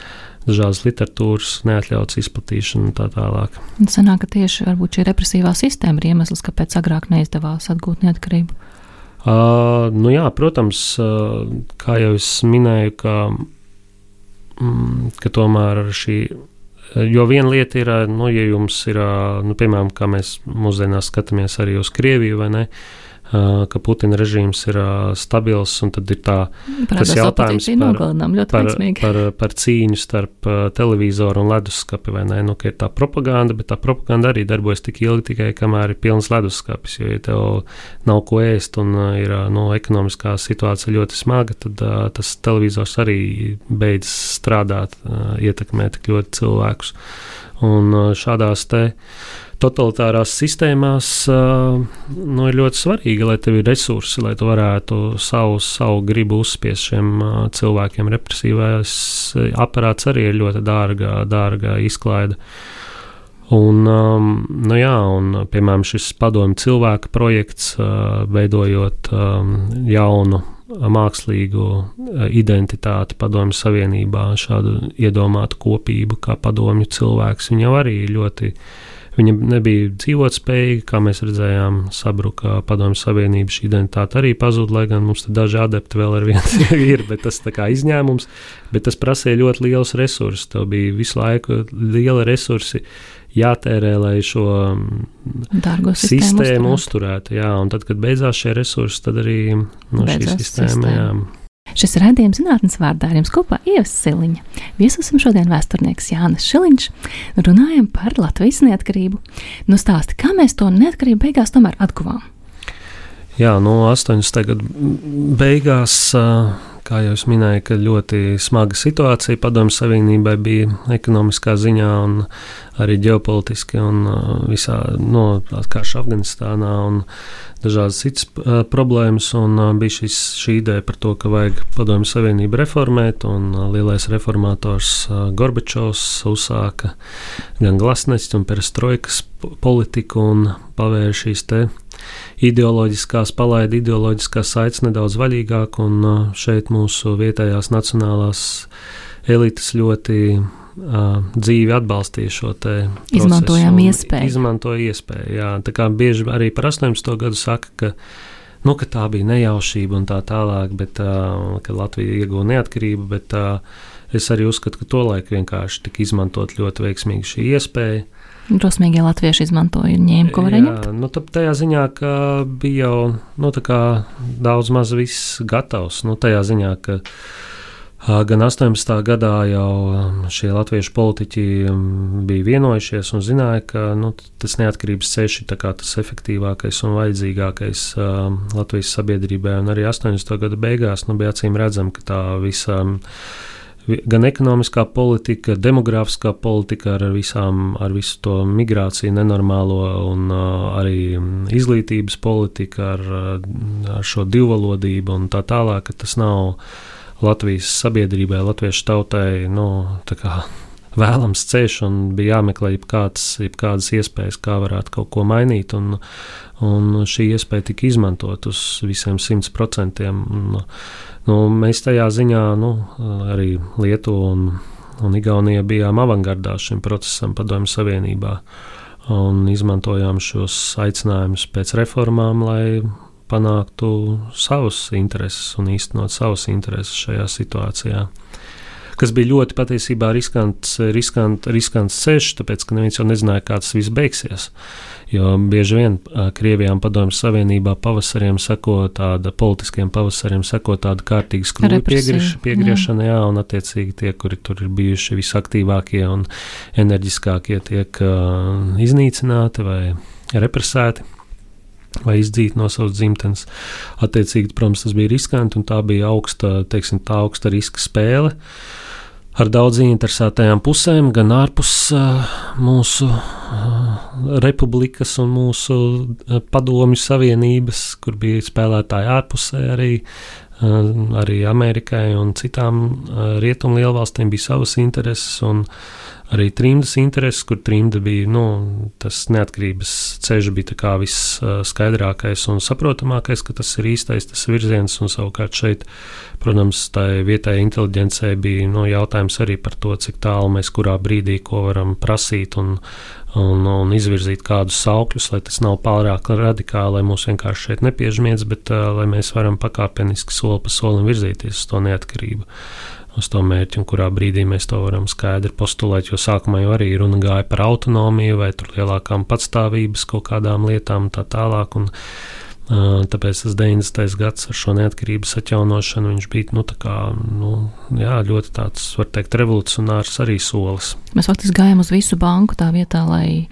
dažādas literatūras neatļautas izplatīšanu un tā tālāk. Un sanāk, ka tieši varbūt šī represīvā sistēma ir iemesls, kāpēc agrāk neizdevās atgūt neatkarību? Uh, nu jā, protams, uh, kā jau es minēju, ka, mm, ka tomēr šī, jo viena lieta ir, nu, ja jums ir, nu, piemēram, kā mēs mūsdienās skatāmies arī uz Krieviju, vai ne, ka Putina režīms ir stabils, un tad ir tā, tas jautājums par, par, par, par cīņu starp televizoru un leduskapi, vai ne, nu, ka ir tā propaganda, bet tā propaganda arī darbojas tik ilgi tikai, kamēr ir pilns leduskapis, jo, ja tev nav ko ēst un ir, nu, ekonomiskā situācija ļoti smaga, tad uh, tas televizors arī beidz strādāt, uh, ietekmēt tik ļoti cilvēkus. Un uh, šādās te totalitārās sistēmās uh, nu, ir ļoti svarīgi, lai tev ir resursi, lai tu varētu savu, savu gribu uzspiest šiem uh, cilvēkiem. Represīvais aparāts arī ir ļoti dārga, dārga izklaide. Un, um, nu jā, un, piemēram, šis padomju cilvēka projekts, uh, veidojot um, jaunu mākslīgu identitāti padomju savienībā, šādu iedomātu kopību kā padomju cilvēks, viņa arī ļoti Viņa nebija dzīvotspējīga, kā mēs redzējām, sabruka padomju savienības identitāte arī pazuda, lai gan mums te daži adepti vēl ar vienu ir, bet tas tā kā izņēmums, bet tas prasīja ļoti liels resursus. Tev bija visu laiku liela resursi jātērē, lai šo Dārgo sistēmu, sistēmu uzturētu. uzturētu. Jā, un tad, kad beidzās šie resursi, tad arī no šī sistēma, sistēma. Jā. Šis ir raidījums zinātnes vārdā, ar jums kopā Ieva Siliņa. Viesosim šodien vēsturnieks Jānis Šiliņš, runājam par Latvijas neatkarību. Nu stāsti, kā mēs to neatkarību beigās tomēr atguvām? Jā, no astoņdesmito gadu beigās, kā jau es minēju, ka ļoti smaga situācija padomju savienībai bija ekonomiskā ziņā un arī ģeopolitiski un visā, no karš Afganistānā un dažādas citas uh, problēmas, un uh, bija šis, šī ideja par to, ka vajag padomju savienību reformēt, un uh, lielais reformators uh, Gorbačovs uzsāka gan glasnests un perestroikas politiku un pavēra šīs te ideoloģiskās, palaida ideoloģiskās saites nedaudz vaļīgāk, un uh, šeit mūsu vietējās nacionālās elites ļoti Uh, dzīvi atbalstīja šo te procesu. Izmantojām iespēju. Izmantoja iespēju, jā. Tā kā bieži arī par astoņdesmito gadu saka, ka, nu, ka tā bija nejaušība un tā tālāk, bet, uh, ka Latvija ieguva neatkarību, bet uh, es arī uzskatu, ka tolaik vienkārši tika izmantot ļoti veiksmīgi šī iespēja. Drosmīgie latvieši izmantoja un ņēma, ko varēja ņemt? Jā, nu, tajā ziņā, ka bija jau, nu, tā kā daudz maz viss gatavs, nu, tajā ziņā, ka gan astoņdesmitā gadā jau šie latviešu politiķi bija vienojušies un zināja, ka, nu, tas neatkarības ceļš ir tas efektīvākais un vajadzīgākais uh, Latvijas sabiedrībai. Un arī astoņdesmito gadu beigās nu, bija acīm redzama, ka tā visa gan ekonomiskā politika, demogrāfiskā politika ar, visām, ar visu to migrāciju nenormālo un uh, arī izglītības politika ar, ar šo divvalodību un tā tālāk, ka tas nav Latvijas sabiedrībai, latviešu tautai, nu, tā kā vēlams ceļš, un bija jāmeklē jebkādas, jebkādas iespējas, kā varētu kaut ko mainīt. Un, un šī iespēja tika izmantot uz visiem simts procentiem. Nu, mēs tajā ziņā nu, arī Lietuva un, un Igaunija bijām avangardā šim procesam Padomju Savienībā un izmantojām šos aicinājumus pēc reformām, lai panāktu savus intereses un īstenot savus intereses šajā situācijā. Kas bija ļoti patiesībā riskants, riskant, riskants ceļš, tāpēc, ka neviens jau nezināja, kā tas viss beigsies. Jo bieži vien Krievijām Padomju Savienībā pavasariem seko tāda, politiskiem pavasariem seko tāda kārtīga skrūja piegrieš, piegriešana, jā. jā, un attiecīgi tie, kuri tur ir bijuši visaktīvākie un enerģiskākie, tiek uh, iznīcināti vai represēti vai izdzīti no savas dzimtenes. Attiecīgi, protams, tas bija riskanti, un tā bija augsta, teiksim, tā augsta riska spēle ar daudz interesētajām pusēm, gan ārpus uh, mūsu uh, republikas un mūsu uh, padomju savienības, kur bija spēlētāji ārpusē arī, uh, arī Amerikai un citām uh, rietumu lielvalstīm bija savas intereses, un arī trimdas intereses, kur trimda bija, nu, tas neatkarības ceļš bija tā kā viss uh, skaidrākais un saprotamākais, ka tas ir īstais, tas virziens, un savukārt šeit, protams, tai vietējai inteliģencei bija, nu, jautājums arī par to, cik tālu mēs kurā brīdī ko varam prasīt un, un, un izvirzīt kādus saukļus, lai tas nav pārāk radikāli, lai mūs vienkārši šeit nepiežmiedz, bet uh, lai mēs varam pakāpeniski soli pa solim virzīties uz to neatkarību, uz to mērķi, un kurā brīdī mēs to varam skaidri postulēt, jo sākumā jau arī runa gāja par autonomiju vai tur lielākām patstāvības kaut kādām lietām un tā tālāk, un uh, tāpēc tas deviņdesmitais gads ar šo neatkarības atjaunošanu, viņš bija, nu, tā kā, nu, jā, ļoti tāds, var teikt, revolucionārs arī solis. Mēs faktiski gājām uz visu banku tā vietā, lai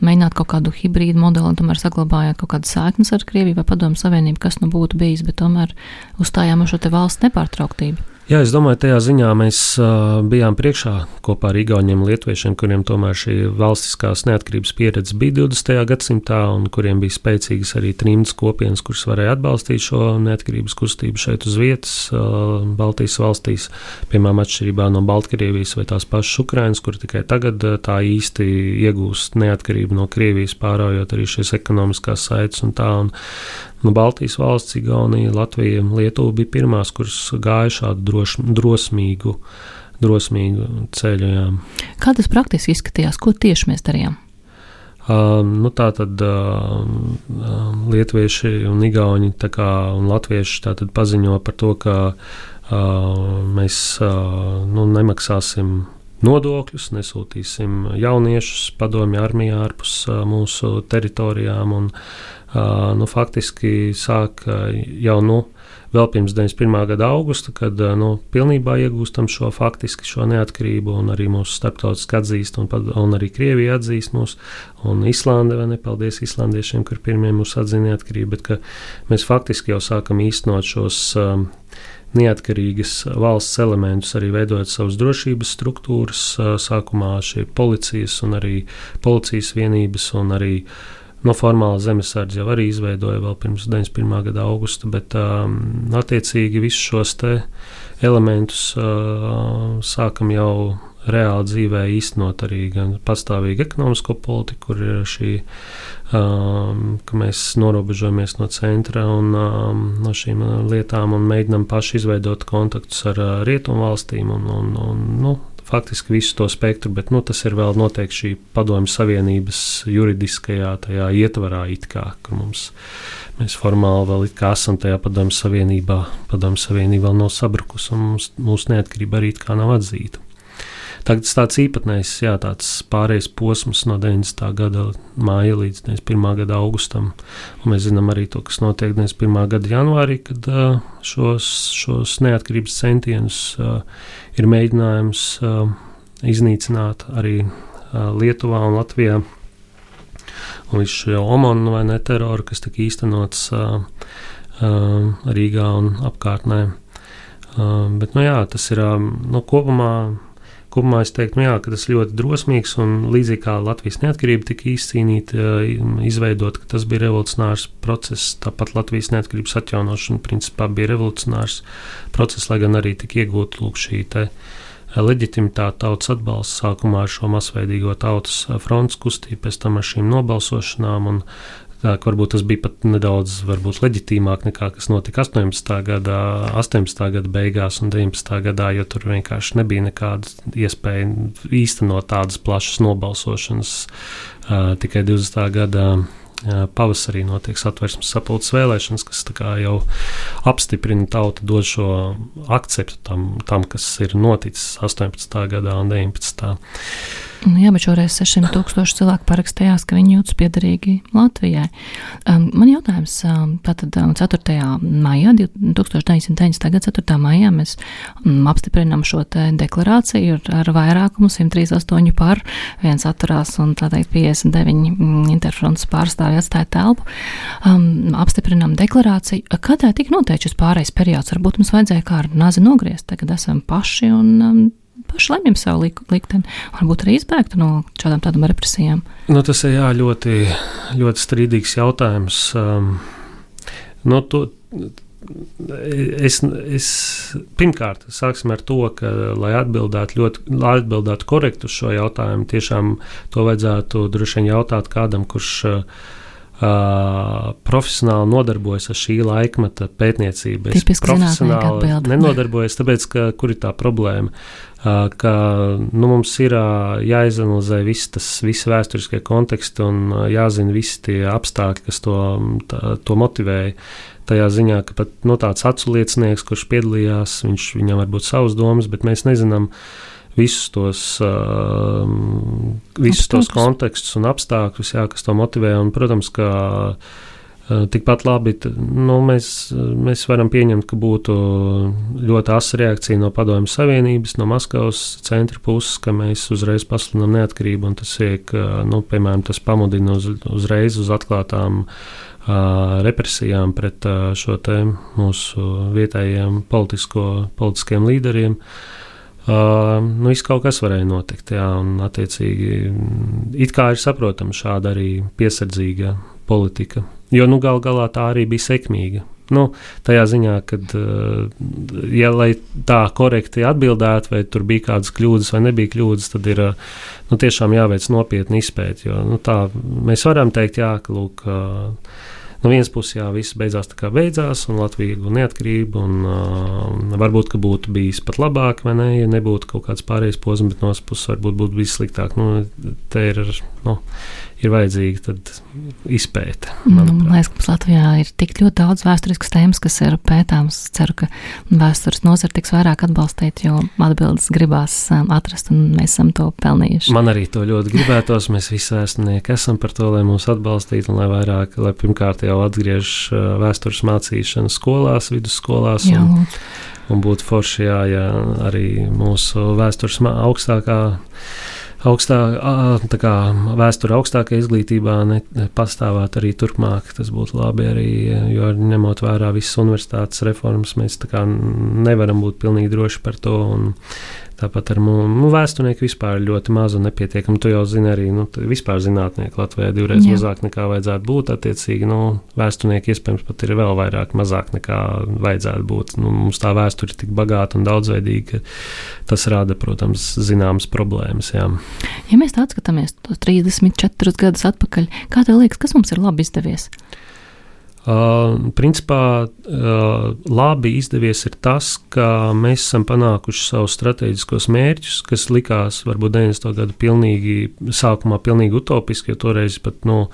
mēģinātu kaut kādu hibrīdu modeli, un tomēr saglabājāt kaut kādas saiknes ar Krieviju vai Padomju Savienību, kas nu būtu bijis, bet tomēr uzstājām uz šo te valsts nepārtrauktību. Jā, es domāju, tajā ziņā mēs uh, bijām priekšā kopā ar igauņiem un lietuviešiem, kuriem tomēr šī valstiskās neatkarības pieredze bija divdesmitajā gadsimtā un kuriem bija spēcīgas arī trimdas kopienas, kuras varēja atbalstīt šo neatkarības kustību šeit uz vietas, uh, Baltijas valstīs, piemēram, atšķirībā no Baltkrievijas vai tās pašas Ukrainas, kur tikai tagad uh, tā īsti iegūst neatkarību no Krievijas, pāraujot arī šīs ekonomiskās saites un tā. Un, nu, Baltijas valsts, Igaunija, Latvija, Lietuva bija pirmās, kuras gāja šādu droš, drosmīgu, drosmīgu ceļu. Jā. Kā tas praktiski izskatījās? Ko tieši mēs darījām? Uh, nu, tā tad uh, lietuvieši un igauņi tā kā, un latvieši tā tad paziņo par to, ka uh, mēs uh, nu, nemaksāsim nodokļus, nesūtīsim jauniešus padomju armijā ārpus uh, mūsu teritorijām, un uh, nu, faktiski sāk uh, jau nu, vēl pirms deviņdesmit pirmā gada augusta, kad uh, nu, pilnībā iegūstam šo faktiski šo neatkarību, un arī mūsu starptautiski atzīst, un, un arī Krievija atzīst mūs, un Islande, vai ne, paldies islandiešiem, kur pirmie mūs atzina neatkarību, bet ka mēs faktiski jau sākam īstenot šos um, neatkarīgas valsts elementus, arī veidojot savas drošības struktūras, sākumā šie policijas un arī policijas vienības un arī no formāla zemesardze jau arī izveidoja vēl pirms deviņdesmit pirmā gada augusta, bet um, attiecīgi visus šos te elementus uh, sākam jau reāli dzīvē īstenot arī gan pastāvīgu ekonomisko politiku, kur ir šī, um, ka mēs norobežojamies no centra un um, no šīm lietām un mēģinam paši izveidot kontaktus ar uh, rietumu valstīm un, un, un nu, faktiski visu to spektru, bet nu, tas ir vēl noteikti šī Padomju Savienības juridiskajā tajā ietvarā it kā, kur mums mēs formāli vēl it kā esam tajā Padomju Savienībā, Padomju Savienība vēl nav sabrukus un mums, mūsu neatkarība arī it kā nav atzīta. Tagad tas tāds īpatnējs, jā, tāds pārējais posms no deviņdesmitā gada māja līdz deviņdesmit pirmā gada augustam. Un mēs zinām arī to, kas notiek deviņdesmit pirmā gada janvārī, kad uh, šos, šos neatkarības centienus uh, ir mēģinājums uh, iznīcināt arī uh, Lietuvā un Latvijā. Un visu šo omonu vai ne teroru, kas tika īstenots uh, uh, Rīgā un apkārtnē. Uh, bet, nu jā, tas ir uh, no kopumā. Kopumā es teiktu, nu jā, ka tas ļoti drosmīgs un līdzīgi kā Latvijas neatkarība tika izcīnīta, izveidot, ka tas bija revolucionārs process, tāpat Latvijas neatkarības atjaunošana principā bija revolucionārs process, lai gan arī tika iegūta lūk šī te leģitimitāte, tautas atbalsts sākumā ar šo masveidīgo tautas frontes kustību, pēc tam ar šīm nobalsošanām. Un tā, varbūt tas bija pat nedaudz varbūt, leģitīmāk nekā kas notika astoņpadsmitā gadā, astoņpadsmitā gada beigās un deviņpadsmitā gadā, jo tur vienkārši nebija nekāda iespēja īstenot tādas plašas nobalsošanas. Uh, tikai divdesmitā gadā pavasarī notiek Satversmes sapulces vēlēšanas, kas tā kā jau apstiprina tautu, dod šo akceptu tam, tam kas ir noticis astoņpadsmitā gadā un deviņpadsmitā. Jā, bet šoreiz sešsimt tūkstoši cilvēku parakstījās, ka viņi jūtas piederīgi Latvijai. Um, man jautājums, um, tātad um, ceturtajā maijā, tūkstoš deviņsimt deviņdesmitā gada ceturtajā maijā mēs um, apstiprinām šo te deklarāciju ar, ar vairākumu simt trīsdesmit astoņi par, viens atturās un tā teikt piecdesmit deviņi mm, interfrontes pārstāvji atstāja telpu. Um, apstiprinām deklarāciju. Kādēļ tika noteikts šis pārējais periods? Varbūt mums vajadzēja kā ar nazi nogriezt, tagad esam paši un um, paši lemjam savu likteni, varbūt arī izbēgtu no šādām tādām represijām. Nu, tas ir jā, ļoti, ļoti strīdīgs jautājums. Um, no to, es, es, pirmkārt, sāksim ar to, ka, lai atbildētu, ļoti, lai atbildētu korekti uz šo jautājumu, tiešām to vajadzētu droši vien jautāt kādam, kurš uh, Uh, profesionāli nodarbojas ar šī laikmeta pētniecību. Es Tipiski profesionāli nenodarbojas, tāpēc, ka kur ir tā problēma, uh, ka nu, mums ir uh, jāizanalizē visi tas, visi vēsturiskie konteksti un uh, jāzina visi tie apstākļi, kas to, tā, to motivēja. Tajā ziņā, ka pat no tāds aculiecinieks, kurš piedalījās, viņš, viņam var būt savas domas, bet mēs nezinām visus tos, uh, visus tos kontekstus un apstākļus, jā, kas to motivē. Un, protams, ka uh, tikpat labi nu, mēs, mēs varam pieņemt, ka būtu ļoti asa reakcija no Padomju Savienības, no Maskavas centra puses, ka mēs uzreiz pasludinām neatkarību, un tas iek, uh, nu, piemēram, tas pamudina uz, uzreiz uz atklātām uh, represijām pret uh, šo te mūsu vietējiem politisko, politiskiem līderiem. Uh, nu, viss kaut kas varēja notikt, jā, un attiecīgi it kā ir saprotama šāda arī piesardzīga politika, jo nu gal galā tā arī bija sekmīga. Nu, tajā ziņā, kad, uh, ja lai tā korekti atbildētu, vai tur bija kādas kļūdas vai nebija kļūdas, tad ir uh, nu, tiešām jāveic nopietni izpēti, jo nu, tā mēs varam teikt, jā, ka lūk, uh, no vienas puses, jā, viss beidzās tā kā beidzās, un Latvija ieguva neatkarību, un uh, varbūt, ka būtu bijis pat labāk, vai ne, ja nebūtu kaut kāds pārējais posms, bet no otras puses varbūt būtu bijis sliktāk. Nu, te ir, nu, ir vajadzīga tad izpēte. Nu, man liekas, ka mums Latvijā ir tik ļoti daudz vēsturiskas tēmas, kas ir pētāms. Ceru, ka vēstures nozara tiks vairāk atbalstīt, jo atbildes gribās um, atrast, un mēs esam to pelnījuši. Man arī to ļoti gribētos. Mēs visi vēsturnieki esam par to, lai mūs atbalstītu, un lai vairāk, lai pirmkārt jau atgriež vēstures mācīšanu skolās, vidusskolās. Jā, un, un būtu forši, jā, ja arī mūsu vēstures augstākā, augstā, tā kā vēsture augstākā izglītībā ne, pastāvāt arī turpmāk. Tas būtu labi arī, jo ņemot vērā visas universitātes reformas, mēs tā kā nevaram būt pilnīgi droši par to. Un tāpat ar mūsu vēsturnieku vispār ļoti maz un nepietiekami. Tu jau zini arī, nu, vispār zinātnieki Latvijā divreiz Jā. mazāk nekā vajadzētu būt. Attiecīgi, nu, vēsturnieki iespējams pat ir vēl vairāk, mazāk nekā vajadzētu būt. Nu, mums tā vēsture ir tik bagāta un daudzveidīga, ka tas rada, protams, zināmas problēmas. Jā. Ja mēs tā atskatāmies tos trīsdesmit četrus gadus atpakaļ, kā tev liekas, kas mums ir labi izdevies? Uh, principā uh, labi izdevies ir tas, ka mēs esam panākuši savus strateģiskos mērķus, kas likās varbūt deviņdesmito gadu pilnīgi, sākumā pilnīgi utopiski, jo toreiz pat nu,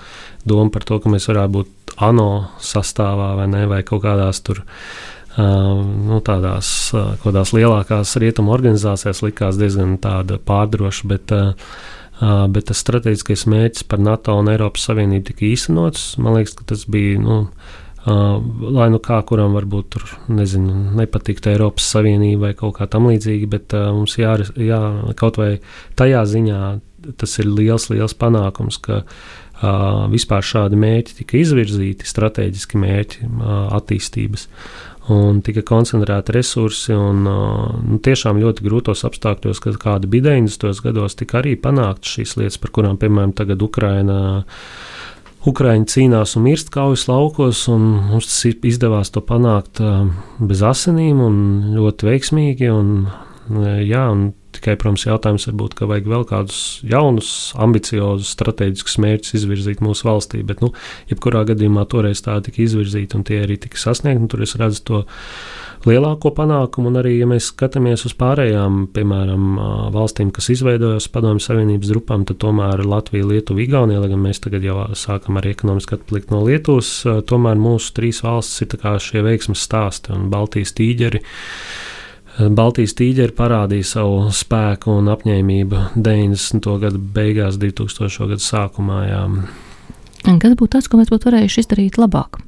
doma par to, ka mēs varētu būt ANO sastāvā vai ne, vai kaut kādās tur uh, nu, tādās uh, kādās lielākās rietumu organizācijās likās diezgan tāda pārdroša, bet uh, Uh, bet tas strateģiskais mērķis par NATO un Eiropas Savienību tika īstenots. Man liekas, ka tas bija, nu, uh, lai nu kā kuram varbūt tur, nezinu, nepatiktu Eiropas Savienība vai kaut kā tam līdzīgi, bet uh, mums jā, jā, kaut vai tajā ziņā tas ir liels, liels panākums, ka uh, vispār šādi mērķi tika izvirzīti, strateģiski mērķi uh, attīstības. Un tika koncentrēti resursi, un nu, tiešām ļoti grūtos apstākļos, kad kādi bija deviņdesmitos gados, tika arī panāktas šīs lietas, par kurām, piemēram, tagad Ukraina, Ukraiņi cīnās un mirst kaujas laukos, un mums tas izdevās to panākt bez asinīm un ļoti veiksmīgi, un, jā, un Tikai, protams, jautājums varbūt, ka vajag vēl kādus jaunus, ambiciozus, strateģiskus mērķus izvirzīt mūsu valstī, bet, nu, jebkurā gadījumā toreiz tā tika izvirzīta un tie arī tika sasniegti, un tur es redzu to lielāko panākumu, un arī, ja mēs skatāmies uz pārējām, piemēram, valstīm, kas izveidojās Padomju Savienības grupām, tad tomēr Latvija, Lietuva, Igaunija, lai gan mēs tagad jau sākam arī ekonomiski atpalikt no Lietuvas, tomēr mūsu trīs valstis ir tā kā šie veiksmes stāsti un Baltijas tīģeri. Baltijas tīģeri parādīja savu spēku un apņēmību deviņdesmito gadu beigās, divtūkstošo gadu sākumā. Jā. Un kas būtu tas, ko mēs būtu varējuši izdarīt labāk?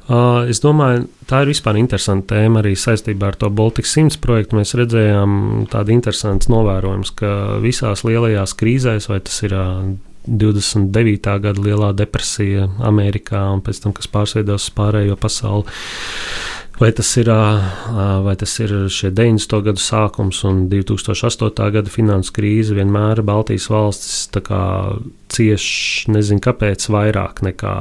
Uh, es domāju, tā ir vispār interesanta tēma arī saistībā ar to Baltic simts projektu. Mēs redzējām tādu interesantu novērojumus, ka visās lielajās krīzēs, vai tas ir uh, divdesmit devītā gada lielā depresija Amerikā un pēc tam, kas pārsveidos pārējo pasauli, vai tas ir, uh, vai tas ir šie deviņdesmito gadu sākums un divtūkstoš astotā gada finansu krīze, vienmēr Baltijas valstis tā kā cieš, nezinu kāpēc, vairāk nekā,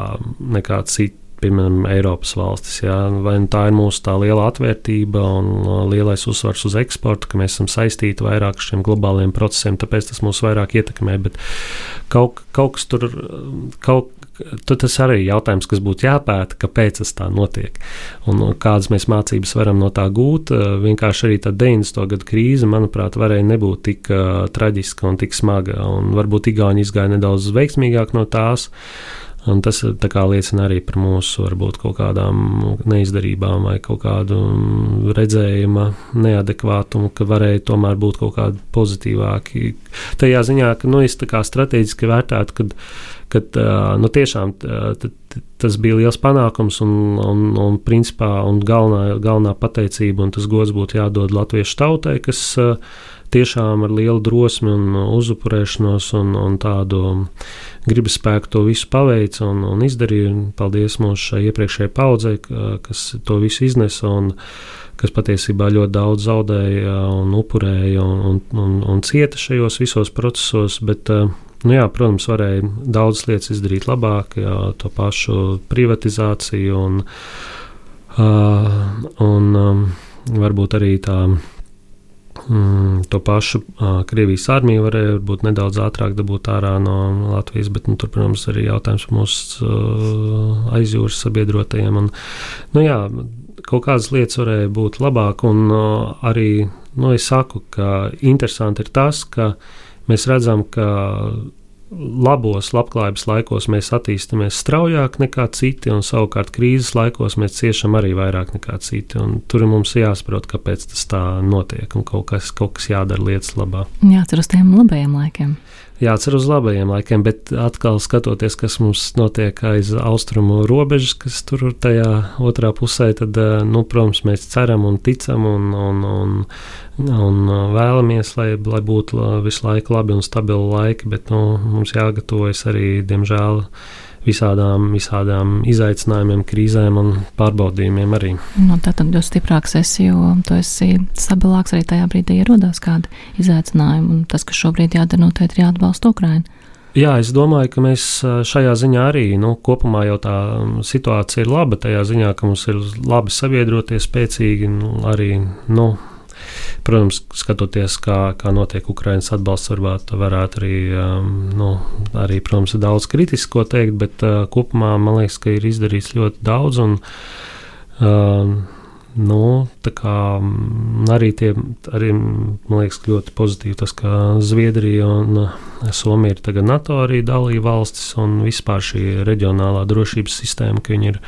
nekā citi. Piemēram, Eiropas valstis. Jā. Vai nu tā ir mūsu tā liela atvērtība un lielais uzsvars uz eksportu, ka mēs esam saistīti vairāk ar šiem globāliem procesiem, tāpēc tas mūs vairāk ietekmē. Bet kaut, kaut kas tur, kaut, tas arī ir jautājums, kas būtu jāpēta, kāpēc tas tā notiek. Un kādas mēs mācības varam no tā gūt. Vienkārši arī tā deviņdesmito gadu krīze, manuprāt, varēja nebūt tik uh, traģiska un tik smaga. Un varbūt Igauni izgāja nedaudz veiksmīgāk no tās. Un tas tā kā liecina arī par mūsu varbūt kaut kādām neizdarībām vai kaut kādu redzējuma neadekvātumu, ka varēja tomēr būt kaut kādi pozitīvāki. Tajā ziņā, ka nu, es tā kā strateģiski vērtētu, kad, kad nu, tiešām t, tas bija liels panākums un, un, un principā un galvenā, galvenā pateicība un tas gods būtu jādod latviešu tautai, kas tiešām ar lielu drosmi un uzupurēšanos un, un tādu gribas spēku to visu paveica un, un izdarīja. Un paldies mūsu šai iepriekšējai paudzei, kas to visu iznesa un kas patiesībā ļoti daudz zaudēja un upurēja un, un, un, un cieta šajos visos procesos, bet, nu jā, protams, varēja daudz lietas izdarīt labāk, jā, to pašu privatizāciju un, uh, un um, varbūt arī tā Mm, to pašu uh, Krievijas armiju varēja būt nedaudz ātrāk dabūt ārā no Latvijas, bet, nu, tur, protams, arī jautājums par mūsu uh, aizjūras sabiedrotajiem. Un, nu jā, kaut kādas lietas varēja būt labāk, un uh, arī, nu, es saku, ka interesanti ir tas, ka mēs redzam, ka labos labklājības laikos mēs attīstamies straujāk nekā citi, un savukārt krīzes laikos mēs ciešam arī vairāk nekā citi. Un tur mums jāsaprot, kāpēc tas tā notiek, un kaut kas, kaut kas jādara lietas labā. Jācer uz tiem labajiem laikiem. Jācer uz labajiem laikiem, bet atkal skatoties, kas mums notiek aiz austrumu robežas, kas tur tajā otrā pusē, tad, nu, protams, mēs ceram un ticam un, un, un, un vēlamies, lai, lai būtu visu laiku labi un stabili laiki, bet, nu, mums jāgatavojas arī, diemžēl, visādām, visādām izaicinājumiem, krīzēm un pārbaudījumiem arī. Nu, tātad jo stiprāks esi, jo tu esi stabilāks arī tajā brīdī ierodās kādi izaicinājumi, un tas, kas šobrīd jādara, noteikti ir jāatbalsta Ukraina. Jā, es domāju, ka mēs šajā ziņā arī, nu, kopumā jau tā situācija ir laba, tajā ziņā, ka mums ir labi sabiedrotie, spēcīgi, nu, arī, nu, protams, skatoties, kā, kā notiek Ukrainas atbalsts, varbūt varētu arī, um, nu, arī, protams, daudz kritisko teikt, bet uh, kopumā man liekas, ka ir izdarīts ļoti daudz un, um, nu, tā kā arī tie, arī, man liekas, ļoti pozitīvi tas, ka Zviedrija un Somija ir tagad NATO arī dalība valstis un vispār šī reģionālā drošības sistēma, ka viņi ir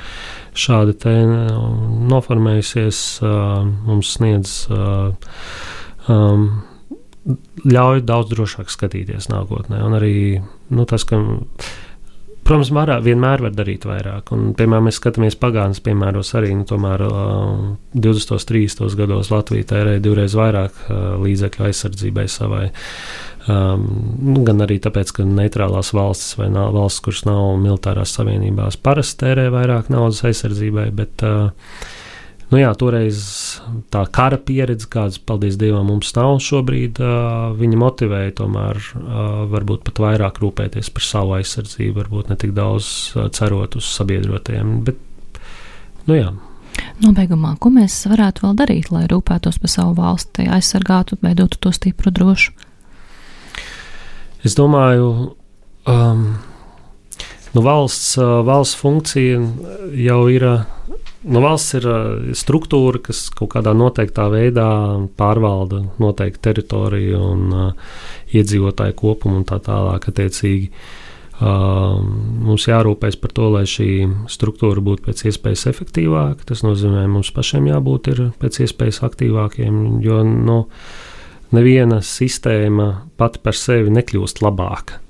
šādi te noformējusies, uh, mums sniedz, uh, um, ļauj daudz drošāk skatīties nākotnē. Un arī, nu, tas, ka, protams, marā, vienmēr var darīt vairāk. Un, piemēram, mēs skatāmies pagātnes piemēros arī, nu, tomēr uh, divdesmitos, trīsdesmitos gados Latvija tērēja divreiz vairāk uh, līdzekļu aizsardzībai savai. Um, gan arī tāpēc, ka neitrālās valstis vai nav, valsts, kuras nav militārās savienībās, parasti tērē vairāk naudas aizsardzībai, bet uh, nu jā, toreiz tā kara pieredze, kādas, paldies Dievam, mums nav šobrīd, uh, viņa motivēja tomēr uh, varbūt pat vairāk rūpēties par savu aizsardzību, varbūt ne tik daudz uh, cerot uz sabiedrotajiem, bet, nu jā. Nobeigumā, ko mēs varētu vēl darīt, lai rūpētos par savu valsti, aizsargātu, veidotu to stipru, drošu? Es domāju, um, nu valsts, valsts funkcija jau ir, nu valsts ir struktūra, kas kaut kādā noteiktā veidā pārvalda noteiktu teritoriju un uh, iedzīvotāju kopumu un tā tālāk attiecīgi. Uh, mums jārūpēs par to, lai šī struktūra būtu pēc iespējas efektīvāka. Tas nozīmē, mums pašiem jābūt ir pēc iespējas aktīvākiem, jo nu, neviena sistēma pati par sevi nekļūst labāka.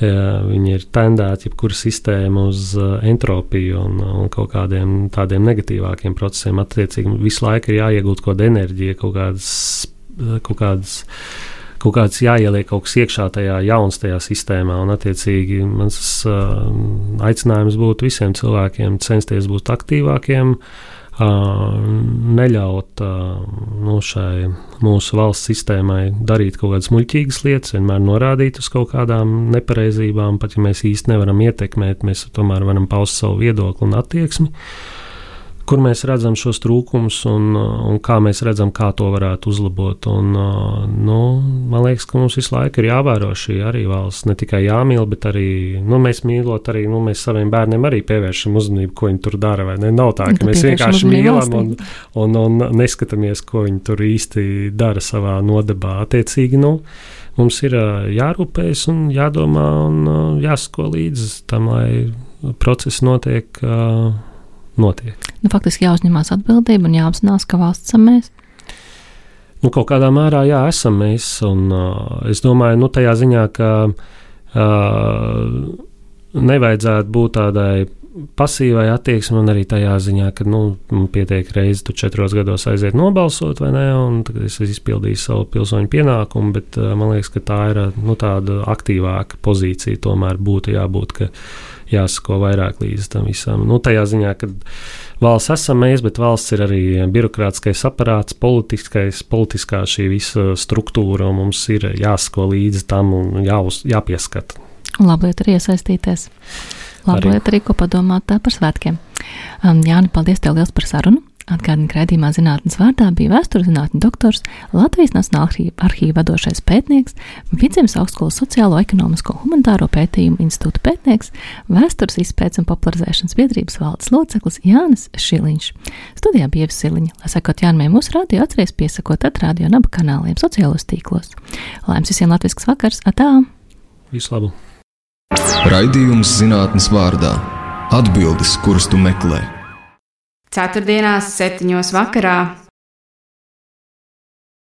Viņi ir tendēti jebkura sistēma uz entropiju un, un kaut kādiem tādiem negatīvākiem procesiem. Attiecīgi visu laiku ir jāiegūt kaut kāda enerģija, kaut kādas, kaut kādas, kaut kāds jāieliek kaut kas iekšā tajā jauns tajā sistēmā. Un attiecīgi mans uh, aicinājums būtu visiem cilvēkiem censties būt aktīvākiem, Uh, neļaut uh, nu, šai mūsu valsts sistēmai darīt kaut kādas muļķīgas lietas, vienmēr norādīt uz kaut kādām nepareizībām, pat ja mēs īsti nevaram ietekmēt, mēs tomēr varam paust savu viedokli un attieksmi, kur mēs redzam šos trūkumus un, un kā mēs redzam, kā to varētu uzlabot. Un, nu, man liekas, ka mums visu laiku ir jāvēro šī arī valsts, ne tikai jāmīl, bet arī, nu, mēs mīlot arī, nu, mēs saviem bērniem arī pievēršam uzmanību, ko viņi tur dara, vai ne? Nav tā, ka mēs vienkārši mīlam un, un, un neskatāmies, ko viņi tur īsti dara savā nodebā. Attiecīgi, nu, mums ir jārūpējas un jādomā un jāsako līdzi tam, lai process notiek notiek. Nu, faktiski jāuzņemās atbildība un jāapzinās, ka valsts esam mēs. Nu, kaut kādā mērā jā, esam mēs. Un, uh, es domāju, nu, tajā ziņā, ka uh, nevajadzētu būt tādai pasīvai attieksmei un arī tajā ziņā, ka nu, pietiek reizi tu četros gados aiziet nobalsot, vai ne, un tagad es izpildīju savu pilsoņu pienākumu, bet uh, man liekas, ka tā ir nu, tāda aktīvāka pozīcija tomēr būtu jābūt, ka jāsako vairāk līdz tam visam. Nu, tajā ziņā, ka valsts esam mēs, bet valsts ir arī birokrātiskais aparāts, politiskais, politiskā šī visa struktūra, un mums ir jāsako līdz tam un jāuz, jāpieskata. Un labi lieta arī iesaistīties. Labi Arī. lieta arī, ko padomāt tā par svētkiem. Um, Jāni, paldies tev liels par sarunu. Atgādini, ka raidījumā Zinātnes vārdā bija vēsturzinātņu doktors, Latvijas Nacionālā arhīva vadošais pētnieks, Vidzemes augstskolas sociālo, ekonomisko un humanitāro pētījumu institūta pētnieks, vēstures izpētes un popularizēšanas biedrības valdes loceklis Jānis Šiliņš. Studijā bija Ieva Siliņa. Lai sekot Jānimai mūsu radio, atceries piesakot at radio un abu kanāliem sociālos tīklos. Lai jums visiem latvisks vakars, atā! Visu labu! Raidījums Zinātnes vārdā. Atbildes, kuras tu meklē. Ceturtdienās, septiņos vakarā